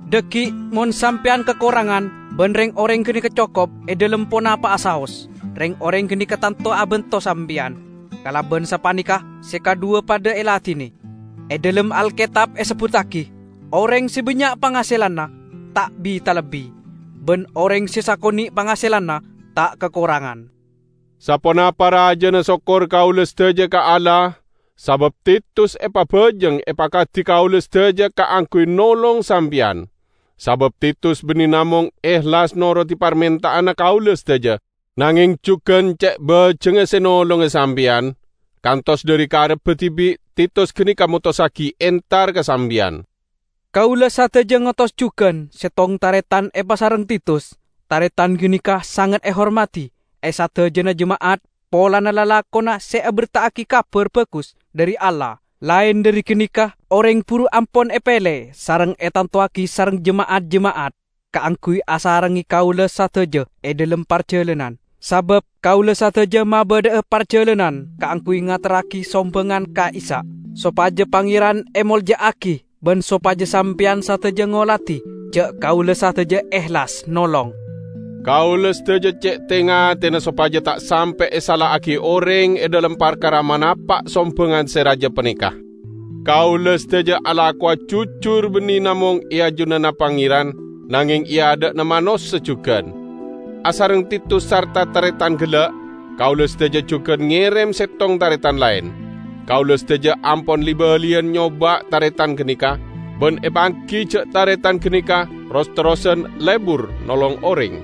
Dhaggi' mon sampeyan kakorangan ban reng-oreng ganeka cokop e dhalem ponapa'a saos, reng-oreng ganeka tanto abanto sampeyan. Kalaban sapaneka se kadhuwa padha eladine. E dhalem Alketab esebbuttagi, "Oreng se bannya' pangaselanna ta' bi-talebbi, ban oreng se sakone' pangaselanna ta' kakorangan." Saponapa rajana sokkor kaula sadaja ka Allah, sabab Titus epabajeng epakadi kaula sadaja kaangguy nolong sampeyan. Sabab Titus banne namong ehlas norodi parmenta'anna kaula sadaja, nangeng jugan ce' bajengnga se nolonga sampeyan, kantos dhari karebbhâ dhibi' Titus ghâneka motossaghi entar ka sampèyan. Kaulâ sadhâjâ ngotos jhughân sèttong tarètan èpasareng Titus. Tarètan ghâneka sanget èhormadhi è sadhâjâna jema'at polana lalakonna sè aberta'aghi Kabhâr Bhâghus dhâri Allah. Laèn dhâri ghâneka, orèng buru ampon èpèlè sareng ètantowaghi sareng jema'at-jema'at kaangghuy asarengngè kaulâ sadhâjâ è dhâlem parjhâlânan. Sabâb kaulâ sadhâjâ mabâdâ'â parjhâlânan kaangghuy ngaterraghi sombhângan ka'issa', sopajâ Pangèran èmolja'aghi bân sopajâ sampèyan sadhâjâ ngolatè jhâ' kaulâ sadhâjâ èhlas nolong. Kaulâ sadhâjâ cè' tè-ngatèna sopajâ ta' sampè' èsala'aghi orèng è dhâlem parkara manapa' sombhângan sè rajâ panèka. Kaulâ sadhâjâ alakowa jujur bânnè namong è ajunanna Pangèran, nangèng è adâ'na manossa jhughân. Asareng Titus sarta tarètan ghellâ', kaulâ sadhâjâ jhughân ngèrèm sèttong tarètan laèn. Kaulâ sadhâjâ ampon li-bâliyân nyobâ tarètan ghâneka, bân èpangghi jhâ' tarètan ghâneka ros-terrosan lebur nolong orèng.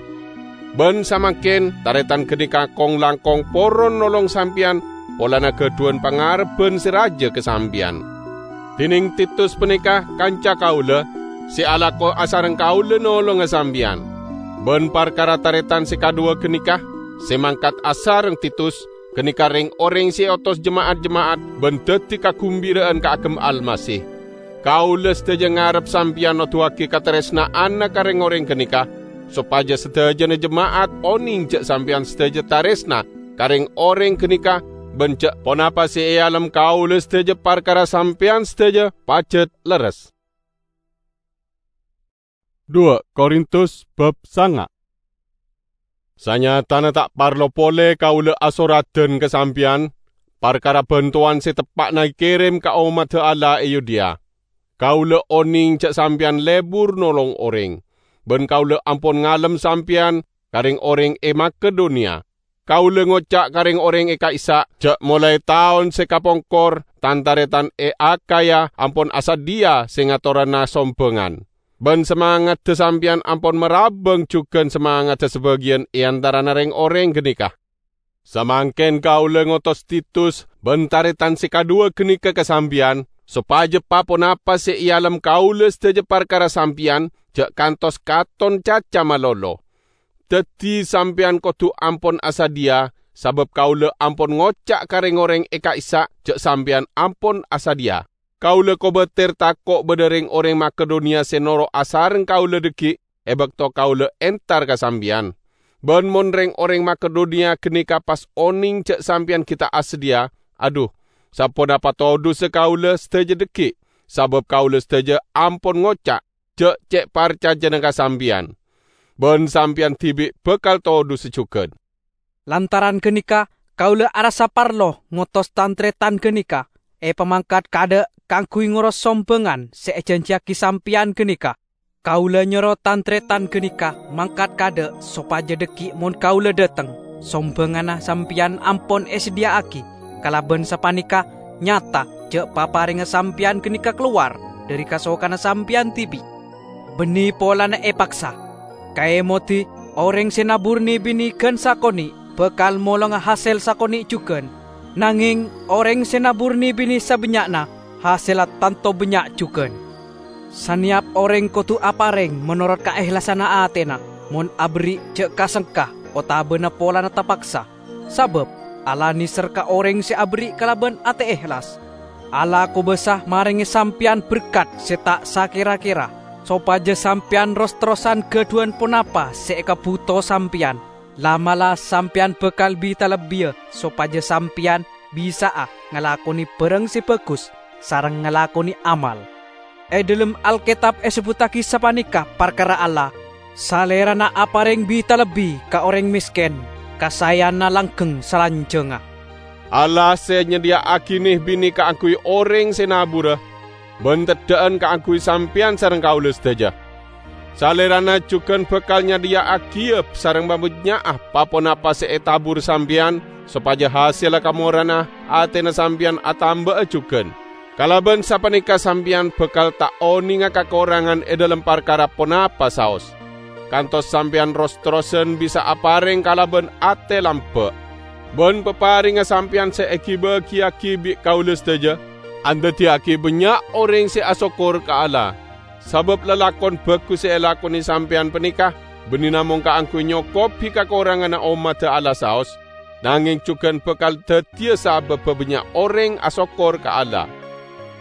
Bân samangkèn, tarètan ghâneka kong-langkong poron nolong sampèyan polana ghâdhuwân pangarebbhân sè rajâ ka sampèyan. Dhinèng Titus panèka kanca kaulâ, sè alako asareng kaulâ nolonga sampèyan. Bân parkara tarètan sè kadhuwâ ghâneka, sè mangkat asareng Titus, ghâneka rèng-orèng sè èotos jema'at-jema'at bân dhâddhi kaghembira'an kaagem Almasih. Kaulâ sadhâjâ ngarep sampèyan noduwâghi katarèsna'anna ka rèng-orèng ghâneka, sopajâ sadhâjâna jema'at onèng jhâ' sampèyan sadhâjâ tarèsna ka rèng-orèng ghâneka, bân jhâ' ponapa sè èalem kaulâ sadhâjâ parkara sampèyan sadhâjâ pajhât lerres. Dua Korintus bab sanga. Sanyatana ta' parlo polè kaulâ asoradhân ka sampèyan parkara bhântowan sè teppa'na èkèrèm ka ommaddhâ Allah è Yudea. Kaulâ onèng jhâ' sampèyan lebur nolong orèng, bân kaulâ ampon ngalem sampèyan ka rèng-orèng è Makedoniya. Kaulâ ngoca' ka rèng-orèng è ka'issa' jhâ' molaè taon sè kapongkor tan-tarètan è Akhaya ampon asadhiyâ sè ngatorana sombhângan. Bân samangaddhâ sampèyan ampon marabâng jhughân samangaddhâ sabâgiyân è antarana rèng-orèng ghâneka. Samangkèn kaulâ ngotos Titus bân tarètan sè kadhuwâ ghâneka ka sampèyan, sopajâ pa-ponapa sè èalem kaulâ sadhâjâ parkara sampèyan jhâ' kantos katon caca malolo. Dhâddhi sampèyan kodhu ampon asadhiyâ, sabâb kaulâ ampon ngoca' ka rèng-orèng è ka'issa' jhâ' sampèyan ampon asadhiyâ. Kaulâ kobâtèr tako' bâdâ rèng-orèng Makedoniya sè noro' asareng kaulâ dhâggi' è bâkto kaulâ entar ka sampèyan. Bân mon rèng-orèng Makedoniya ghâneka pas onèng jhâ' sampèyan ghi' ta' asadhiyâ, adhu, saponapa todhusa kaulâ sadhâjâ dhâggi', sabâb kaulâ sadhâjâ ampon ngoca' jhâ' cè' parcajâna ka sampèyan. Bân sampèyan dhibi' bhâkal todhusa jhughân. Lantaran ghâneka, kaulâ arassa parlo ngotos tan-tarètan ghâneka èpamangkat kaadâ' kaangghuy ngoros sombhângan sè èjhânjhiyâghi sampèyan ghâneka. Kaulâ nyoro tan-tarètan ghâneka mangkat kaadâ' sopajâ dhâggi' mon kaulâ dâteng, sombhânganna sampèyan ampon èsadhiyâ'aghi. Kalabân sapanèka nyata jhâ' paparèngnga sampèyan ghâneka kalowar dhâri kasokanna sampèyan dhibi', bânnè polana èpaksa. Kaèmodhi, orèng sè nabur nè-binè ghân sakonè' bhâkal molonga hasèl sakonè' jhughân, nangèng orèng sè nabur nè-binè sabânnya'na, hasèlla tanto bânnya' jhughân. Sanèyap orèng kodhu aparèng manorot kaèhlasanna atèna, mon aberri' jhâ' ka-sengka otabâna polana tapaksa. Sabâb Allah nèser ka orèng sè aberri' kalabân atè èhlas. Allah kobâsa marèngè sampèyan berkat sè ta' sakèra-kèra, sopajâ sampèyan ros-terrosan ghâdhuwân ponapa sè èkabhuto sampèyan. La'-mala' sampèyan bhâkal bi-talebbiyâ sopajâ sampèyan bisa'a ngalakonè bhârâng sè bhâghus sareng ngalakonè amal. È dhâlem Alkètab èsebbhuttaghi sapanèka parkara Allah, "Salèrana aparèng bi-talebbi ka orèng mèskèn, kasaèyanna langghâng salanjhângnga." Allah sè nyadhiyâ'aghi nè-binè kaangghuy orèng sè nabura, bân teddhâ'ân kaangghuy sampèyan sareng kaulâ sadhâjâ. Salèrana jhughân bhâkal nyadhiyâ'aghiyâ sareng pabânnya'na pa-ponapa sè ètabur sampèyan, sopajâ hasèlla kamorana atèna sampèyan atamba'a jhughân. Kalabân sapanèka sampèyan bhâkal ta' onènga kakorangan è dhâlem parkara ponapa saos, kantos sampèyan ros-terrosan bisa aparèng kalabân atè lambâ'. Ban paparengnga sampeyan se agi-bagiyagi bi' kaula sadaja, andaddiyagi bannya' oreng se asokkor ka Allah. Sabab lalakon bagus se elakone sampeyan paneka banne namong kaangguy nyokobi kakoranganna ommadda Allah saos, nangeng jugan bakal daddiya sababba bannya' oreng asokkor ka Allah.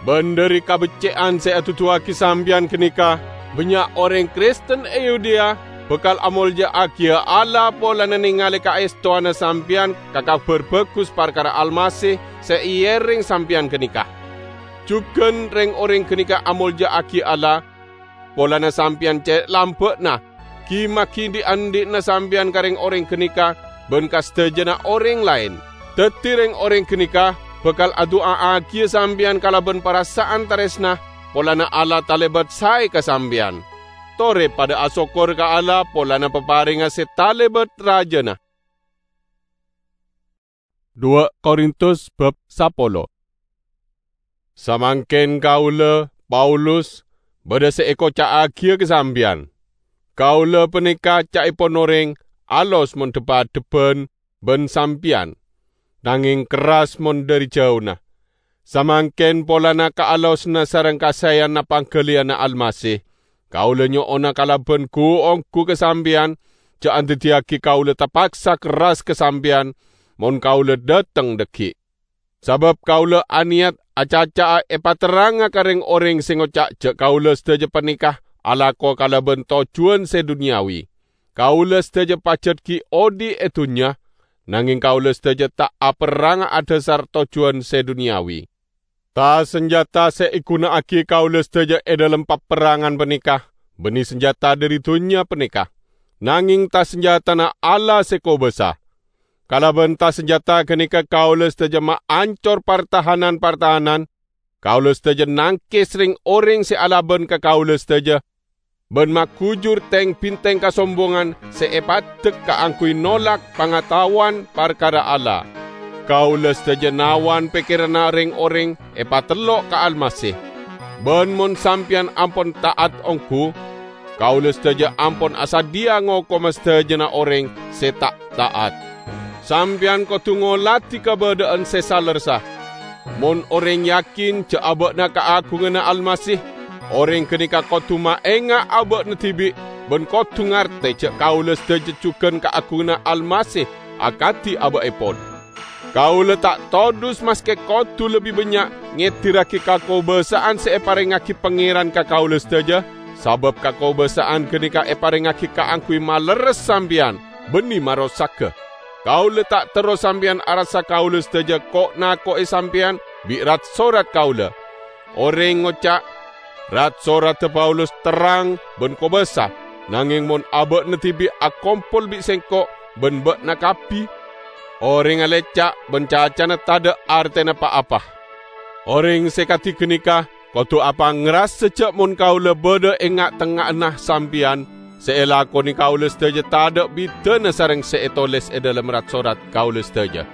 Ban dhari kabecce'an se aduduwagi sampeyan ganeka, bannya' oreng Kristen e Yudea bakal amolja'agiya Allah polana nengale kaestowanna sampeyan ka Kabar Bagus parkara Almasih se eereng sampeyan ganeka. Jugan reng-oreng ganeka amolja'agi Allah polana sampeyan ce' lamba'na, gi-magi dhi'-andhi'na sampeyan ka reng-oreng ganeka ban ka sadajana oreng laen. Daddi reng-oreng ganeka bakal adu'a'agiya sampeyan kalaban parasa'an taresna polana Allah talebat sae ka sampeyan. Tore padha asokkor ka Allah polana paparengnga se talebat rajana. Dua Korintus bab sapolo. Samangken kaula, Paulus, badha se ekoca'agiya ka sampeyan. Kaula paneka ca'epon oreng alos mon dhep-adhebban ban sampeyan, nangeng kerras mon dhari jauna. Samangken polana kaalosna sareng kasaeyanna panggaliyanna Almasih, kaula nyo'ona kalaban gu-onggu ka sampeyan, ja' andaddiyagi kaula tapaksa kerras ka sampeyan, mon kaula dhateng dhaggi'. Sabab kaula aneyat acaca'a epaterranga ka reng-oreng se ngoca' ja' kaula sadaja paneka alako kalaban tojjuwan se dunyawi. Kaula sadaja pajat gi' odhi' e dunnya, nangeng kaula sadaja ta' aperranga adhasar tojjuwan se dunyawi. Ta-sanjata se eguna'agi kaula sadaja e dhalem paperrangan paneka banne sanjata dhari dunnya paneka, nangeng ta-sanjatana Allah se kobasa. Kalaban ta-sanjata ganeka kaula sadaja maancor partahanan-partahanan, kaula sadaja nangkes reng-oreng se alaban ka kaula sadaja, ban magujur teng-binteng kasombongan se epaddek kaangguy nolak pangataowan parkara Allah. Kaula sadaja nawan pekkeranna reng-oreng epatello' ka Almasih. Ban mon sampeyan ampon ta'at onggu, kaula sadaja ampon asadhiya ngokoma sadajana oreng se ta' ta'at. Sampeyan kodu ngoladi kabadha'an se salerressa. Mon oreng yakin ja' aba'na kaagunganna Almasih, oreng ganeka kodu maenga' aba'na dibi' ban kodu ngarte ja' kaula sadaja jugan kaagunganna Almasih akadi aba'epon. Kaula ta' todus maske kodu lebbi bannya' ngedirragi kakobasa'an se eparengngagi Pangeran ka kaula sadaja, sabab kakobasa'an ganeka eparengngagi kaangguy malerres sampeyan, banne marossaga. Kaula ta' terro sampeyan arassa kaula sadaja ko'-nako'e sampeyan bi' rat-sorat kaula. Oreng ngoca', "Rat-soradda Paulus terrang ban kobasa, nangeng mon aba'na dibi' akompol bi' sengko' ban ba'na kabbi, orengnga lecca' ban cacana tadha' artena pa-apa." Oreng se kadi ganeka kodu apangrasa ja' mon kaula badha e nga'-tengnga'anna sampeyan, se elakone kaula sadaja tadha' bidana sareng se etoles e dhalem rat-sorat kaula sadaja.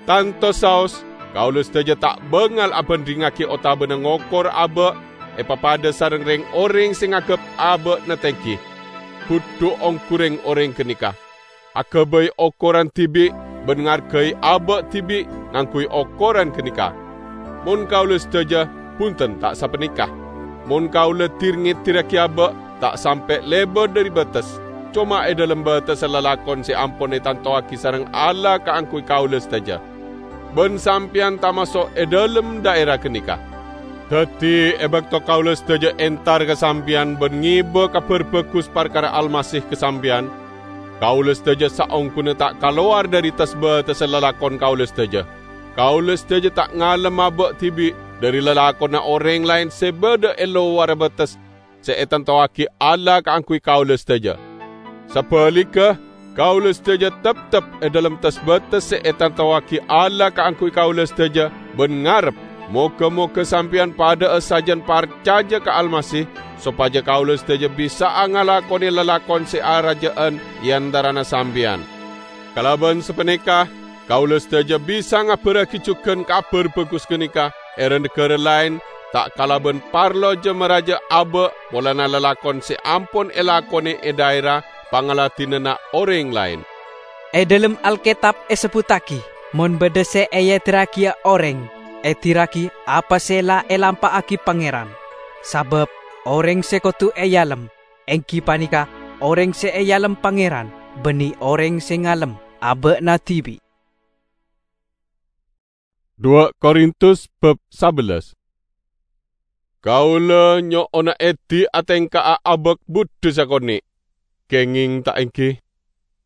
Tanto saos, kaula sadaja ta' bangal abandhingngagi otabana ngokor aba' epapadha sareng reng-oreng se ngaggep aba'na tenggi. Budhu onggu reng-oreng ganeka. Agabay okoran dibi' ban ngargai aba' dibi' ngangguy okoran ganeka. Mon kaula sadaja, bunten ta' sapaneka. Mon kaula dir-ngedirragi aba', ta' sampe' lebar dhari bates, coma e dhalem batessa lalakon se ampon etantowagi sareng Allah kaangguy kaula sadaja. Ban sampeyan tamaso' e dhalem dhaera ganeka. Daddi, e bakto kaula sadaja entar ka sampeyan ban ngeba Kabar Bagus parkara Almasih ka sampeyan, kaula sadaja saongghuna ta' kalowar dhari tes-batessa lalakon kaula sadaja. Kaula sadaja ta' ngalem aba' dibi' dhari lalakonna oreng laen se badha e lowarra bates se etantowagi Allah kaangguy kaula sadaja. Sabaligga, kaula sadaja teptep e dhalem tes-bates se etantowagi Allah kaangguy kaula sadaja ban ngarep, moga-moga sampeyan padha'a sajan parcaja ka Almasih, sopaja kaula sadaja bisa'a ngalakone lalakon se araja'an e antarana sampeyan. Kalaban sapaneka, kaula sadaja bisa ngabarragi jugan Kabar Bagus ganeka e ra-negara laen, ta' kalaban parlo ja-maraja aba' polana lalakon se ampon elakone e dhaera pangladinanna oreng laen. E dhâlem Alketab èsebbhuttaghi, "Mon bâdâ sè èedirraghiyâ orèng, edirraghi apa sè la èlampa'aghi Pangèran." Sabâb orèng sè kodhu èalem, èngghi panèka orèng sè èalem Pangèran, bânnè orèng sè ngalem abâ'na dhibi'. Dua Korintus bab sabellas. Kaulâ nyo'ona èdhi atèngka'a abâk bhuddhu sakonè', kèngèng ta' èngghi.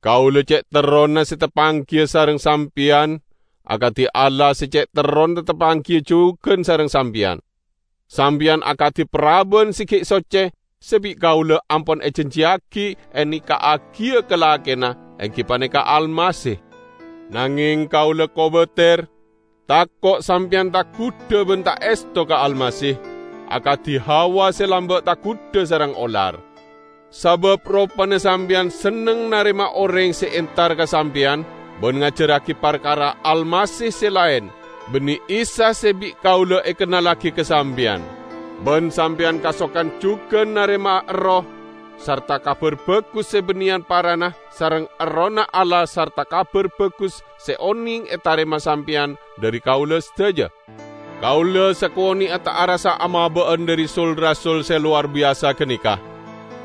Kaulâ cè' terrona sè tapangghiyâ sareng sampèyan, akadhi Allah sè cè' terrona tapangghiyâ jhughân sareng sampèyan. Sampèyan akadhi paraban sè ghi' socce sè bi' kaulâ ampon èjanjiyaghi ènèka'aghiyâ ka lakèna, èngghi panèka Almasih. Nangèng kaulâ kobâtèr, tako' sampèyan taghudhâ bân ta' èsto ka Almasih, akadhi Hawa sè lambâ' taghudhâ sareng olar. Sabâb ropana sampèyan senneng narèma orèng sè entar ka sampèyan bân ngajhârraghi parkara Almasih sè laèn, bânnè Isa sè bi' kaulâ èkennallaghi ka sampèyan. Bân sampèyan kasokan jhughân narèma Erroh sarta Kabhâr Bhâghus sè bânnèyan parana sareng Errohna Allah sarta Kabhâr Bhâghus sè onèng ètarèma sampèyan dhâri kaulâ sadhâjâ. Kaulâ sakonè'a ta' arassa amabâ'ân dhâri sul-rasul sè lowar biyasa ganèka.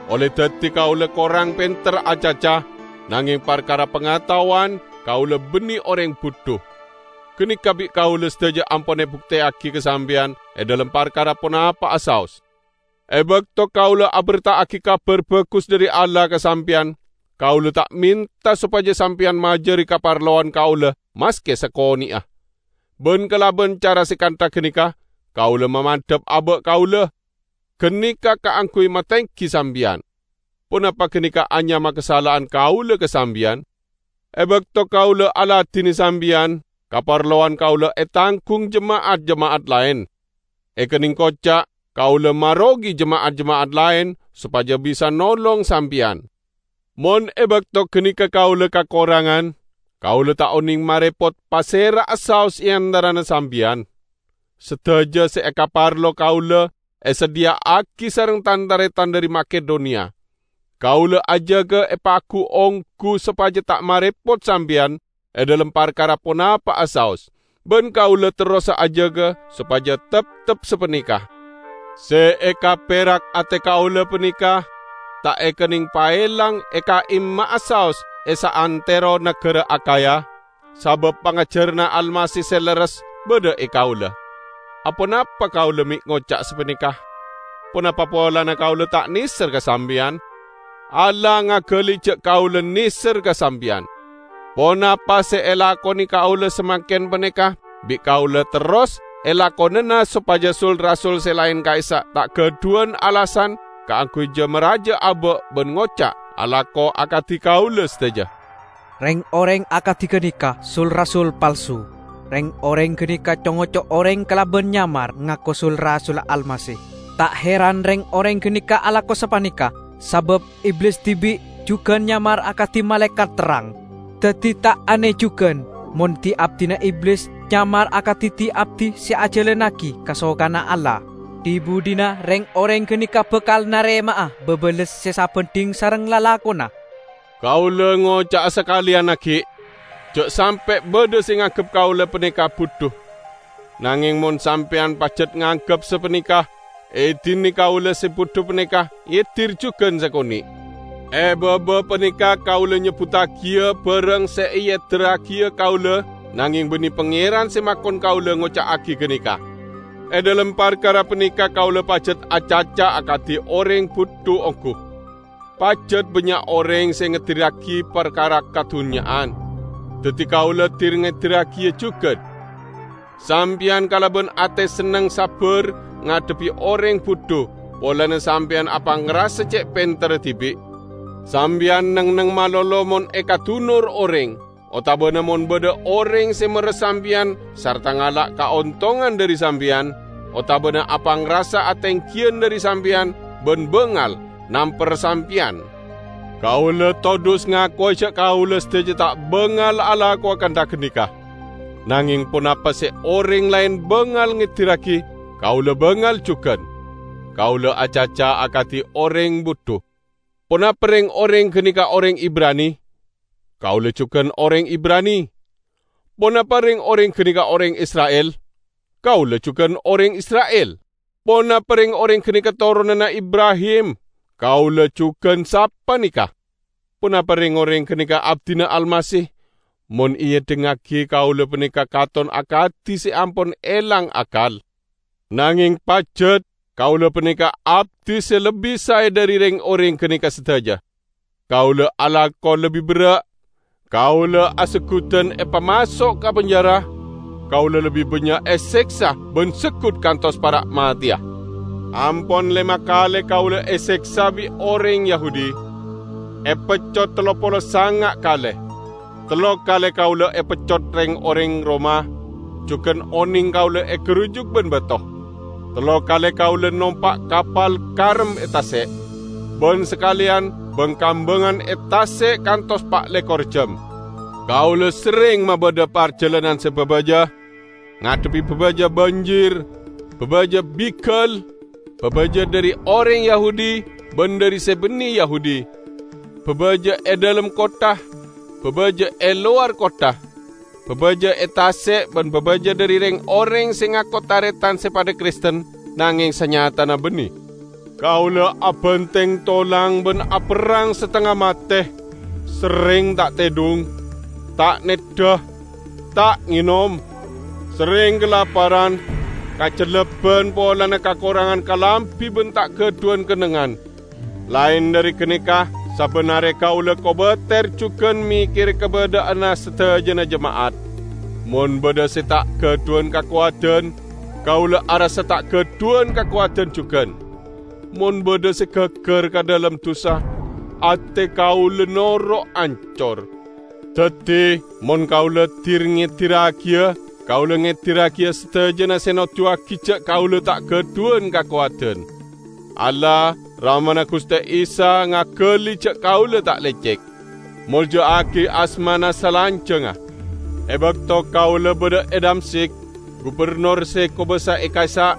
Ollè dhâddhi kaulâ korang pènter acaca, nangèng parkara pangataowan kaulâ bânnè orèng bhuddhu. Ganèka bi' kaulâ sadhâjâ ampon èbuktèyaghi ka sampèyan è dhâlem parkara ponapa'a saos. È bâkto kaulâ abherta'aghi Kabhâr Bhâghus dhâri Allah ka sampèyan, kaulâ ta' mènta sopajâ sampèyan majâri kaparlowan kaulâ maskè sakonè'a. Bân kalabân cara sè kantha ganèka, kaulâ mamandhâp abâ' kaulâ, ganèka kaangghuy matèngghi sampèyan. Ponapa ganèka anyama kasala'an kaulâ ka sampèyan? È bâkto kaulâ aladhinè sampèyan, kaparlowan kaulâ ètangghung jema'at-jema'at laèn. Èkennèng koca', kaulâ marogi jema'at-jema'at laèn sopajâ bisa nolong sampèyan. Mon è bâkto ganèka kaulâ kakorangan, kaulâ ta' onèng marèpot pasèra'a saos è antarana sampèyan. Sadhâjâ sè èkaparlo kaulâ èsadhiyâ'aghi sareng tan-tarètan dhâri Makedoniya. Kaulâ ajâgâ èpagu-onggu sopajâ ta' marèpot sampèyan è dhâlem parkara ponapa'a saos, bân kaulâ terrosa ajâgâ sopajâ teptep sapanèka. Sè èkapèrak atè kaulâ panèka ta' èkennèng paèlang è ka'imma'a saos è saantèro naghârâ Akhaya, sabâb pangajhârânna Almasih sè lerres bâdâ è kaulâ. Aponapa kaulâ mè' ngoca' sapanèka? Ponapa polana kaulâ ta' nèser ka sampèyan? Allah ngaghâli jhâ' kaulâ nèser ka sampèyan. Ponapa sè èlakonè kaulâ samangkèn panèka bi' kaulâ terros èlakonana sopajâ sul-rasul sè laèn ka'issa' ta' ghâdhuwân alasan kaangghuy jâ-marajâ abâ' bân ngoca' alako akadhi kaulâ sadhâjâ. Rèng-orèng akadhi ganèka sul-rasul palsu. Rèng-orèng ganèka co-ngoco orèng kalabân nyamar ngako sul-rasulla Almasih. Ta' heran rèng-orèng ganèka alako sapanèka, sabâb Iblis dhibi' jhughân nyamar akadhi malaèkat terrang. Dhâddhi ta' anè jhughân mon dhi-abdhina Iblis nyamar akadhi dhi-abdhi sè ajhâlannaghi kasokanna Allah. Dhi-budhina rèng-orèng ganèka bhâkal narèma'a bâbâles sè sabhândhing sareng lalakonna. Kaulâ ngoca'a sakalèyan aghi', jhâ' sampè' bâdâ sè nganggep kaulâ panèka bhuddhu. Nangèng mon sampèyan pajhât nganggep sapanèka, èdinè kaulâ sè bhuddhu panèka èdir jhughân sakonè'. È bâbâ panèka kaulâ nyebbhuttaghiyâ bhârâng sè èedirraghiyâ kaulâ, nangèng bânnè Pangèran sè makon kaulâ ngoca'aghi ganèka. È dhâlem parkara panèka kaulâ pajhât acaca akadhi orèng bhuddhu ongghu. Pajhât bânnya' orèng sè ngedirraghi parkara kadhunnya'an. Dhâddhi kaulâ dir-ngedirraghiyâ jhughân. Sampèyan kalabân atè senneng sabbhâr ngadhebbhi orèng bhuddhu, polana sampèyan apangrasa cè' pènterra dhibi'. Sampèyan neng-enneng malolo mon èkadunor orèng, otabâna mon bâdâ orèng sè merres sampèyan sarta ngala' kaontongan dhâri sampèyan, otabâna apangrasa atèngghiyân dhâri sampèyan bân bângal namper sampèyan. Kaulâ todus ngakowa jhâ' kaulâ sadhâjâ ta' bângal alakowa kantha ganèka. Nangèng ponapa sè orèng laèn bângal ngedirraghi, kaulâ bângal jhughân. Kaulâ acaca akadhi orèng bhuddhu. Ponapa rèng-orèng ganèka orèng Ibrani? Kaulâ jhughân orèng Ibrani. Ponapa rèng-orèng ghânèka orèng Isra'il? Kaulâ jhughân orèng Isra'il. Ponapa rèng-orèng ghânèka toronanna Ibrahim? Kaulâ jhughân sapanèka. Ponapa rèng-orèng ghânèka abdhina Almasih? Mon èèdhingngaghi kaulâ panèka katon akadhi sè ampon èlang akal. Nangèng pajhât, kaulâ panèka abdhi sè lebbi saè dhâri rèng-orèng ghânèka sadhâjâ. Kaulâ alako lebbi berrâ'. Kaulâ asegghuddhân èpamaso' ka penjara. Kaulâ lebbi bânnya' èsèksa bân segghu' kantos para' matèya. Ampon lèma kalè kaulâ èsèksa bi' orèng Yahudi, èpeccot tello polo sanga' kalè. Tello kalè kaulâ èpeccot rèng-orèng Roma, jhughân onèng kaulâ ègharujuk bân bâto. Tello kalè kaulâ nompa' kapal karem è tasè', bân sakalèyan bâng-kambângan è tasè' kantos pa' lèkor jhâm. Kaulâ serrèng mabâdâ parjhâlânan sè bhâbhâjâ, ngadhebbhi bhâbhâjâ banjir, bhâbhâjâ bighâl, bhâbhâjâ dhâri orèng Yahudi bân dhâri sè bânnè Yahudi, bhâbhâjâ è dhâlem kottha, bhâbhâjâ è lowar kottha, bhâbhâjâ è tasè' bân bhâbhâjâ dhâri rèng-orèng sè ngako tarètan sè padâ Kristen, nangèng sanyatana bânnè. Kaulâ abhântèng tolang bân aperrang satengnga matè, serrèng ta' tèdhung, ta' nèddhâ, ta' ngènom, serrèng kalaparan, kajhellâbân polana kakorangan kalambhi bân ta' ghâdhuwân kennengngan. Laèn dhâri ghânèka, sabbhân arè kaulâ kobâtèr jhughân mèkkèrè kabâdâ'ânna sadhâjâna jema'at. Mon bâdâ sè ta' ghâdhuwân kakowadhân, kaulâ arassa ta' ghâdhuwân kakowadhân jhughân. Mon bâdâ sè ghâggâr ka dhâlem dhusa, atè kaulâ noro' ancor. Dhâddhi, mon kaulâ dir-ngèdirragiyâ, kaulâ ngèdirragiyâ sadhâjâna sè noduwâghi jhâ' kaulâ ta' ghâdhuwân kakowadhân. Allah, Ramana Ghustè Isa, ngaghâli jhâ' kaulâ ta' lècèk. Molja'aghi asmana salanjhângnga. È bâkto kaulâ bâdâ è Damsyik, gubernor sè kobâsa è ka'issa',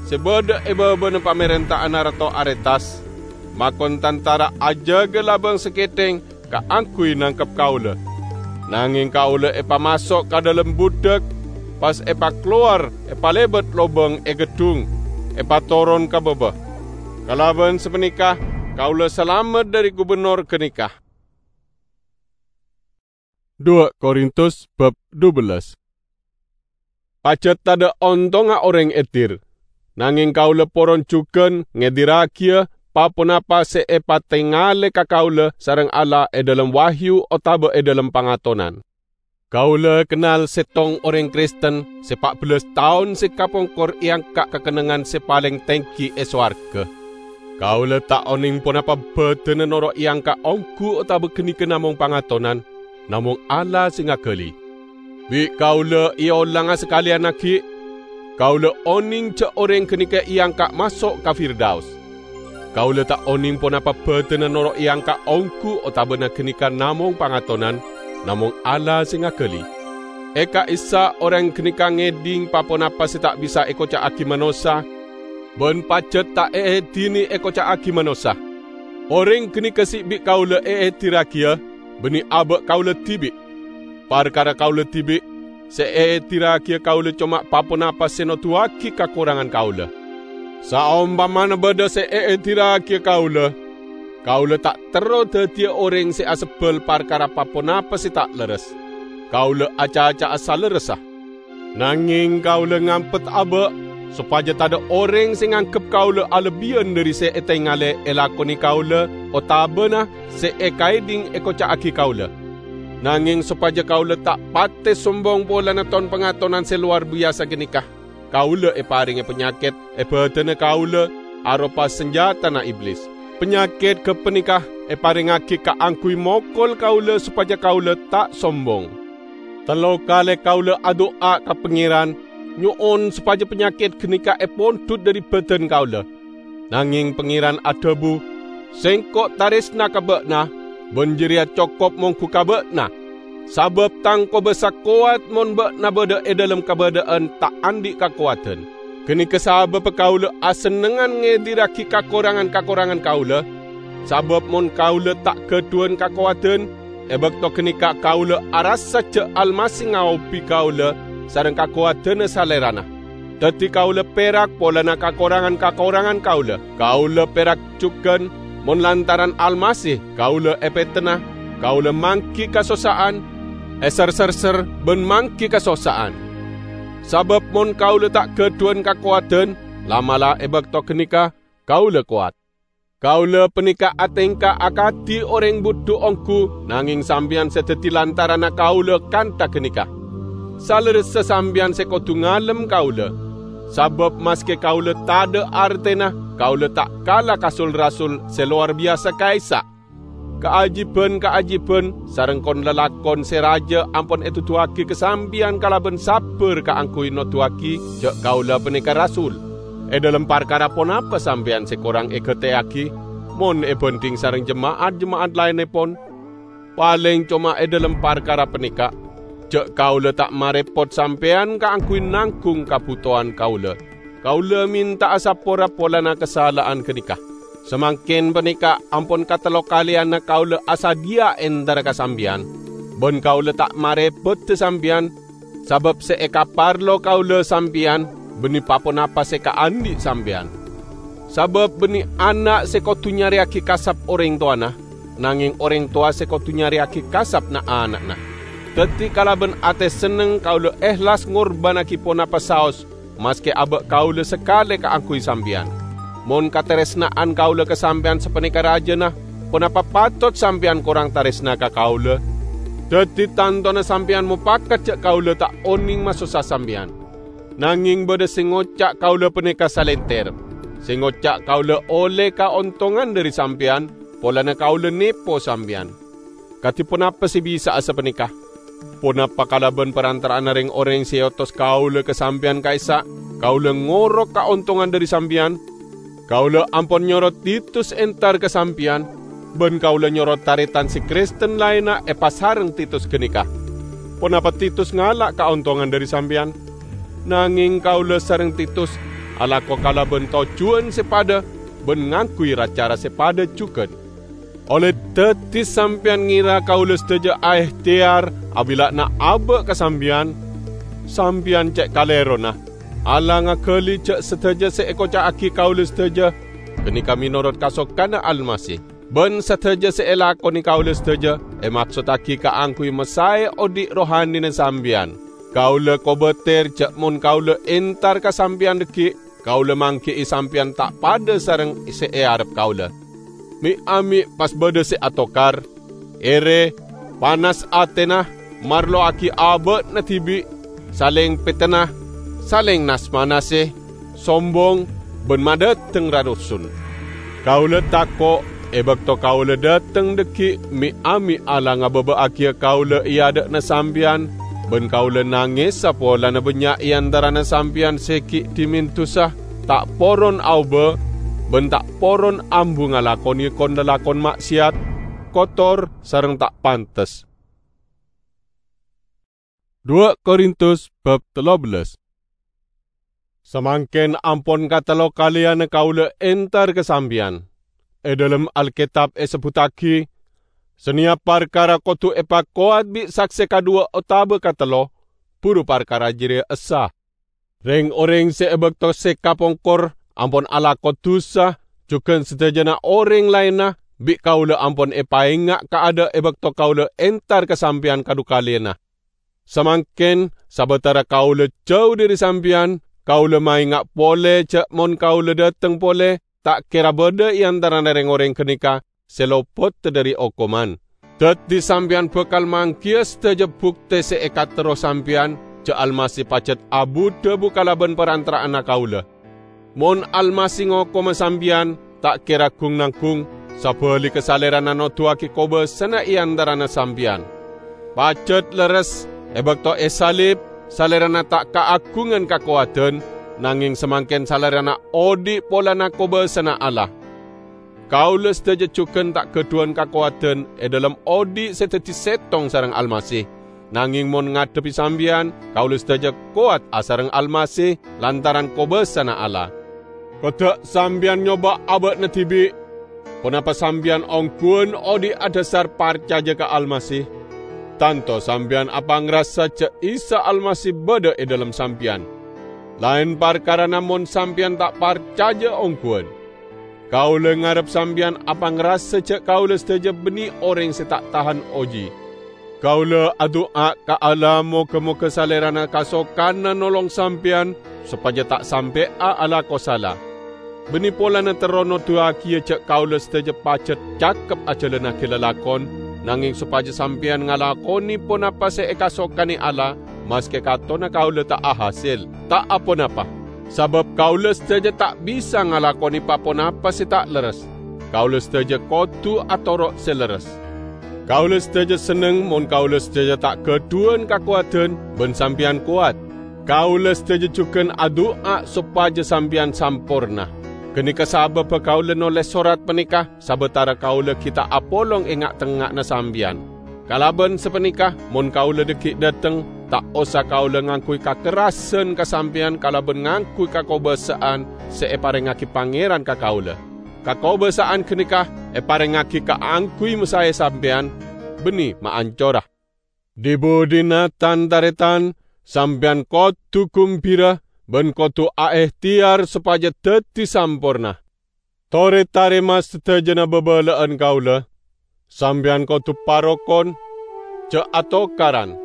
sè bâdâ è bâbâna pamèrènta'anna Rato Aretas, makon tantara ajâgâ labâng sakèthèng kaangghuy nangkep kaulâ. Nangèng kaulâ èpamaso' ka dhâlem budhâk, pas èpakalowar èpalèbât lobâng è geddhung, èpatoron ka bâbâ. Kalabân sapanèka kaulâ salamet dhâri gubernor ghânèka. Dua Korintus bab dubellâs. Pajhât tadâ' ontongnga orèng èdir, nangèng kaulâ poron jhughân ngèdirragiyâ pa-ponapa sè èpatengalè ka kaulâ sareng Allah è dhâlem wahyu otabâ è dhâlem pangatonan. Kaulâ kennal sèttong orèng Kristen sè pa' bellâs taon sè kapongkor èangka' ka kennengngan sè palèng tèngghi è sowarghâ. Kaulâ ta' onèng ponapa bâdânna noro' èangka' ongghu otabâ ghânèka namong pangatonan, namong Allah sè ngaghâli. Bi' kaulâ èolanga sakalèyan aghi', kaulâ onèng jhâ' orèng ghânèka èangka' maso' ka Firdaus. Kaulâ ta' onèng ponapa bâdânna noro' èangka' ongghu otabâna ghânèka namong pangatonan, namong Allah sè ngaghâli. È ka'issa' orèng ghânèka ngèdhing pa-ponapa sè ta' bisa èkoca'aghi manossa, bân pajhât ta' èèdhinè èkoca'aghi manossa. Orèng ghânèka sè bi' kaulâ èèdirragiyâ, bânnè abâ' kaulâ dhibi'. Parkara kaulâ dhibi', sè èèdirragiyâ kaulâ coma pa-ponapa sè noduwâghi kakorangan kaulâ. Saompamana bâdâ sè èèdirragiyâ kaulâ, kaulâ ta' terro dhâddhiyâ orèng sè asebbhâl parkara pa-ponapa sè ta' lerres. Kaulâ acaca'a salerressa. Nangèng kaulâ ngampet abâ', sopajâ tadâ' orèng sè nganggep kaulâ alebbiyân dhâri sè ètengalè èlakonè kaulâ otabâna sè èkaèdhing èkoca'aghi kaulâ. Nangèng sopajâ kaulâ ta' patè sombong polana ton-pangatonan sè lowar biyasa ghânèka, kaulâ èparèngè panyakèt è bâdânna kaulâ aropa sanjhâtana Iblis. Panyakèt ghâpanèka èparèngaghi kaangghuy mokol kaulâ sopajâ kaulâ ta' sombong. Tello kalè kaulâ adu'a ka Pangèran, nyo'on sopajâ panyakèt ghânèka èpondhut dhâri bâdân kaulâ. Nangèng Pangèran adhâbu, "Sèngko' tarèsna ka bâ'na, bân jârèya cokop mongghu ka bâ'na, sabâb tang kobâsa kowat mon bâ'na bâdâ è dhâlem kabâdâ'ân ta' andi' kakowadhân." Ghânèka sabâbbhâ kaulâ asennengngan ngèdirraghi kakorangan-kakorangan kaulâ, sabâb mon kaulâ ta' ghâdhuwân kakowadhân, E bakto ganeka kaula arassa ja' Almasih ngaobi kaula sareng kakowadanna Salerana. Daddi kaula perak polana kakorangan-kakorangan kaula. Kaula perak jugan, mon lantaran Almasih kaula epetena, kaula manggi kasossa'an, eserserser ban manggi kasossa'an. Sabab mon kaula ta' gadhuwan kakowadan, la'-mala' e bakto ganeka kaula kowat. Kaula paneka atengka akadi oreng budhu onggu, nangeng sampeyan se daddi lantaranna kaula kantha ganeka. Salerressa sampeyan se kodu ngalem kaula. Sabab maske kaula tadha' artena, kaula ta' kala ka sul-rasul se lowar biyasa ka'issa'. Kaajiban-kaajiban sareng kon-lalakon se raja ampon eduduwagi ka sampeyan kalaban sabbar kaangguy noduwagi ja' kaula paneka rasul. E dhalem parkara ponapa sampeyan se korang egateyagi, mon ebandhing sareng jema'at-jema'at laennepon? Paleng coma e dhalem parkara paneka, ja' kaula ta' marepot sampeyan kaangguy nanggung kabutowan kaula. Kaula menta'a sapora polana kasala'an ganeka. Samangken paneka ampon katello kaleyanna kaula asadhiya entara ka sampeyan, ban kaula ta' marepodda sampeyan, sabab se ekaparlo kaula sampeyan banne pa-ponapa se ekaandhi' sampeyan. Sabab banne ana' se kodu nyareyagi kasap oreng towana, nangeng oreng towa se kodu nyareyagi kasap na'-ana'na. Daddi kalaban ate senneng kaula ehlas ngorbannagi ponapa saos, maske aba' kaula sakale kaangguy sampeyan. Mon kataresna'an kaula ka sampeyan sapaneka rajana, ponapa patot sampeyan korang taresna ka kaula? Daddi tantona sampeyan mopakat ja' kaula ta' oneng masossa sampeyan. Nangeng badha se ngoca' kaula paneka salenter. Se ngoca' kaula olle kaontongan dhari sampeyan, polana kaula nepo sampeyan. Kadi ponapa se bisa'a sapaneka? Ponapa kalaban parantara'anna reng-oreng se eotos kaula ka sampeyan ka'issa' kaula ngorok kaontongan dhari sampeyan? Kaula ampon nyoro Titus entar ka sampeyan, ban kaula nyoro taretan se Kristen laenna epasareng Titus ganeka. Ponapa Titus ngala' kaontongan dhari sampeyan? Nangeng kaula sareng Titus alako kalaban tojjuwan se padha ban ngangguy ra-cara se padha jugan. Olle daddi sampeyan ngera kaula sadaja aehteyar abilla'ana aba' ka sampeyan? Sampeyan ce' kalerona! Allah ngagali ja' sadaja se ekoca'agi kaula sadaja ganeka menorot kasokanna Almasih, ban sadaja se elakone kaula sadaja emaksottagi kaangguy masae odhi' rohanina sampeyan. Kaula kobater ja' mon kaula entar ka sampeyan dhaggi', kaula manggi'i sampeyan ta' padha sareng se earep kaula. Me'-ame' pas badha se atokar, ere, panas atena, marlowagi aba'na dibi', saleng petena, saleng nas-manase, sombong, ban madhateng rarusun. Kaula tako' e bakto kaula dhateng dhaggi' me'-ame' Allah ngababa'agiya kaula e adha'na sampeyan, ban kaula nangesa polana bannya' e antarana sampeyan se gi' dhimen dusa, ta' poron aoba, ban ta' poron ambu ngalakone kon-lalakon ma'seyat, kotor, sareng ta' pantes. Dua Korintus bab tello bellas. Samangken ampon katello kaleyanna kaula entar ka sampeyan. E dhalem Alketab esebbuttagi, "Saneyap parkara kodu epakowat bi' sakse kadhuwa otaba katello, buru parkara jareya essa." Reng-oreng se e bakto se kapongkor ampon alako dusa, jugan sadajana oreng laenna bi' kaula ampon epaenga' kaadha' e bakto kaula entar ka sampeyan kadhu kalena. Samangken, sabatara kaula jau dhari sampeyan, kaula maenga' pole ja' mon kaula dhateng pole, ta' kera badha e antarana reng-oreng ganeka se lopot dhari okoman. Daddi sampeyan bakal manggiya sadaja bukte se ekaterro sampeyan ja' Almasih pajat abu-dhabu kalaban parantara'anna kaula. Mon Almasih ngokoma sampeyan, ta' kera gung-nanggung, sabaligga Salerana noduwagi kobasana e antarana sampeyan. Pajat lerres, e bakto esalib, Salerana ta' kaagungan kakowadan, nangeng samangken Salerana odhi' polana kobasana Allah. Kaula sadaja jugan ta' gadhuwan kakowadan e dhalem odhi' se daddi settong sareng Almasih. Nangeng mon ngadhebbi sampeyan, kaula sadaja kowat asareng Almasih lantaran kobasana Allah. Kodda' sampeyan nyoba aba'na dibi'. Ponapa sampeyan ongghuwân odhi' adhasar parcaja ka Almasih? Tanto sampeyan apangrasa ja' Isa Almasih badha e dhalem sampeyan. Laen parkarana mon sampeyan ta' parcaja ongghuwân. Kaula ngarep sampeyan apangrasa ja' kaula sadaja banne oreng se ta' tahan oji. Kaula adu'a ka Allah moga-moga Salerana kasokanna nolong sampeyan sopaja ta' sampe'a alako sala. Banne polana terro noduwagiya ja' kaula sadaja pajat cakep ajalannagi lalakon, nangeng sopaja sampeyan ngalakone ponapa se ekasokane Allah, maske katona kaula ta' ahasel, ta' aponapa. Sabab kaula sadaja ta' bisa ngalakone pa-ponapa se ta' lerres. Kaula sadaja kodu atoro' se lerres. Kaula sadaja senneng mon kaula sadaja ta' gadhuwan kakowadan ban sampeyan kowat. Kaula sadaja jugan adu'a sopaja sampeyan samporna. Ganeka sababba kaula noles sorat paneka, sabatara kaula gi' ta' apolong e nga'-tengnga'anna sampeyan. Kalaban sapaneka, mon kaula dhaggi' dhateng, ta' osa kaula ngangguy kakerrasan ka sampeyan kalaban ngangguy kakobasa'an se eparengngagi Pangeran ka kaula. Kakobasa'an ganeka eparengngagi kaangguy masae sampeyan, banne maancora. Dhi-budhina, tan-taretan, sampeyan kodu gumbira ban kodu aehteyar sopaja daddi samporna. Tore tarema sadajana babala'an kaula. Sampeyan kodu parokon, ja' atokaran.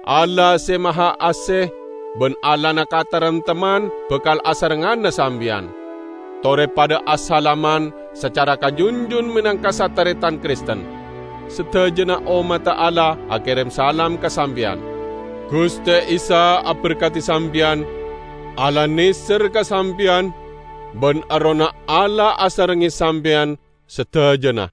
Allah se Maha Ase ban Allahna kataremtemman bakal asarengngana sampeyan. Tore padha asalaman sacara kajunjun menangka sataretan Kristen. Sadajana ommadda Allah akerem salam ka sampeyan. Guste Isa aberkadi sampeyan, Allah neser ka sampeyan, ban Errohna Allah asarengnge sampeyan sadajana.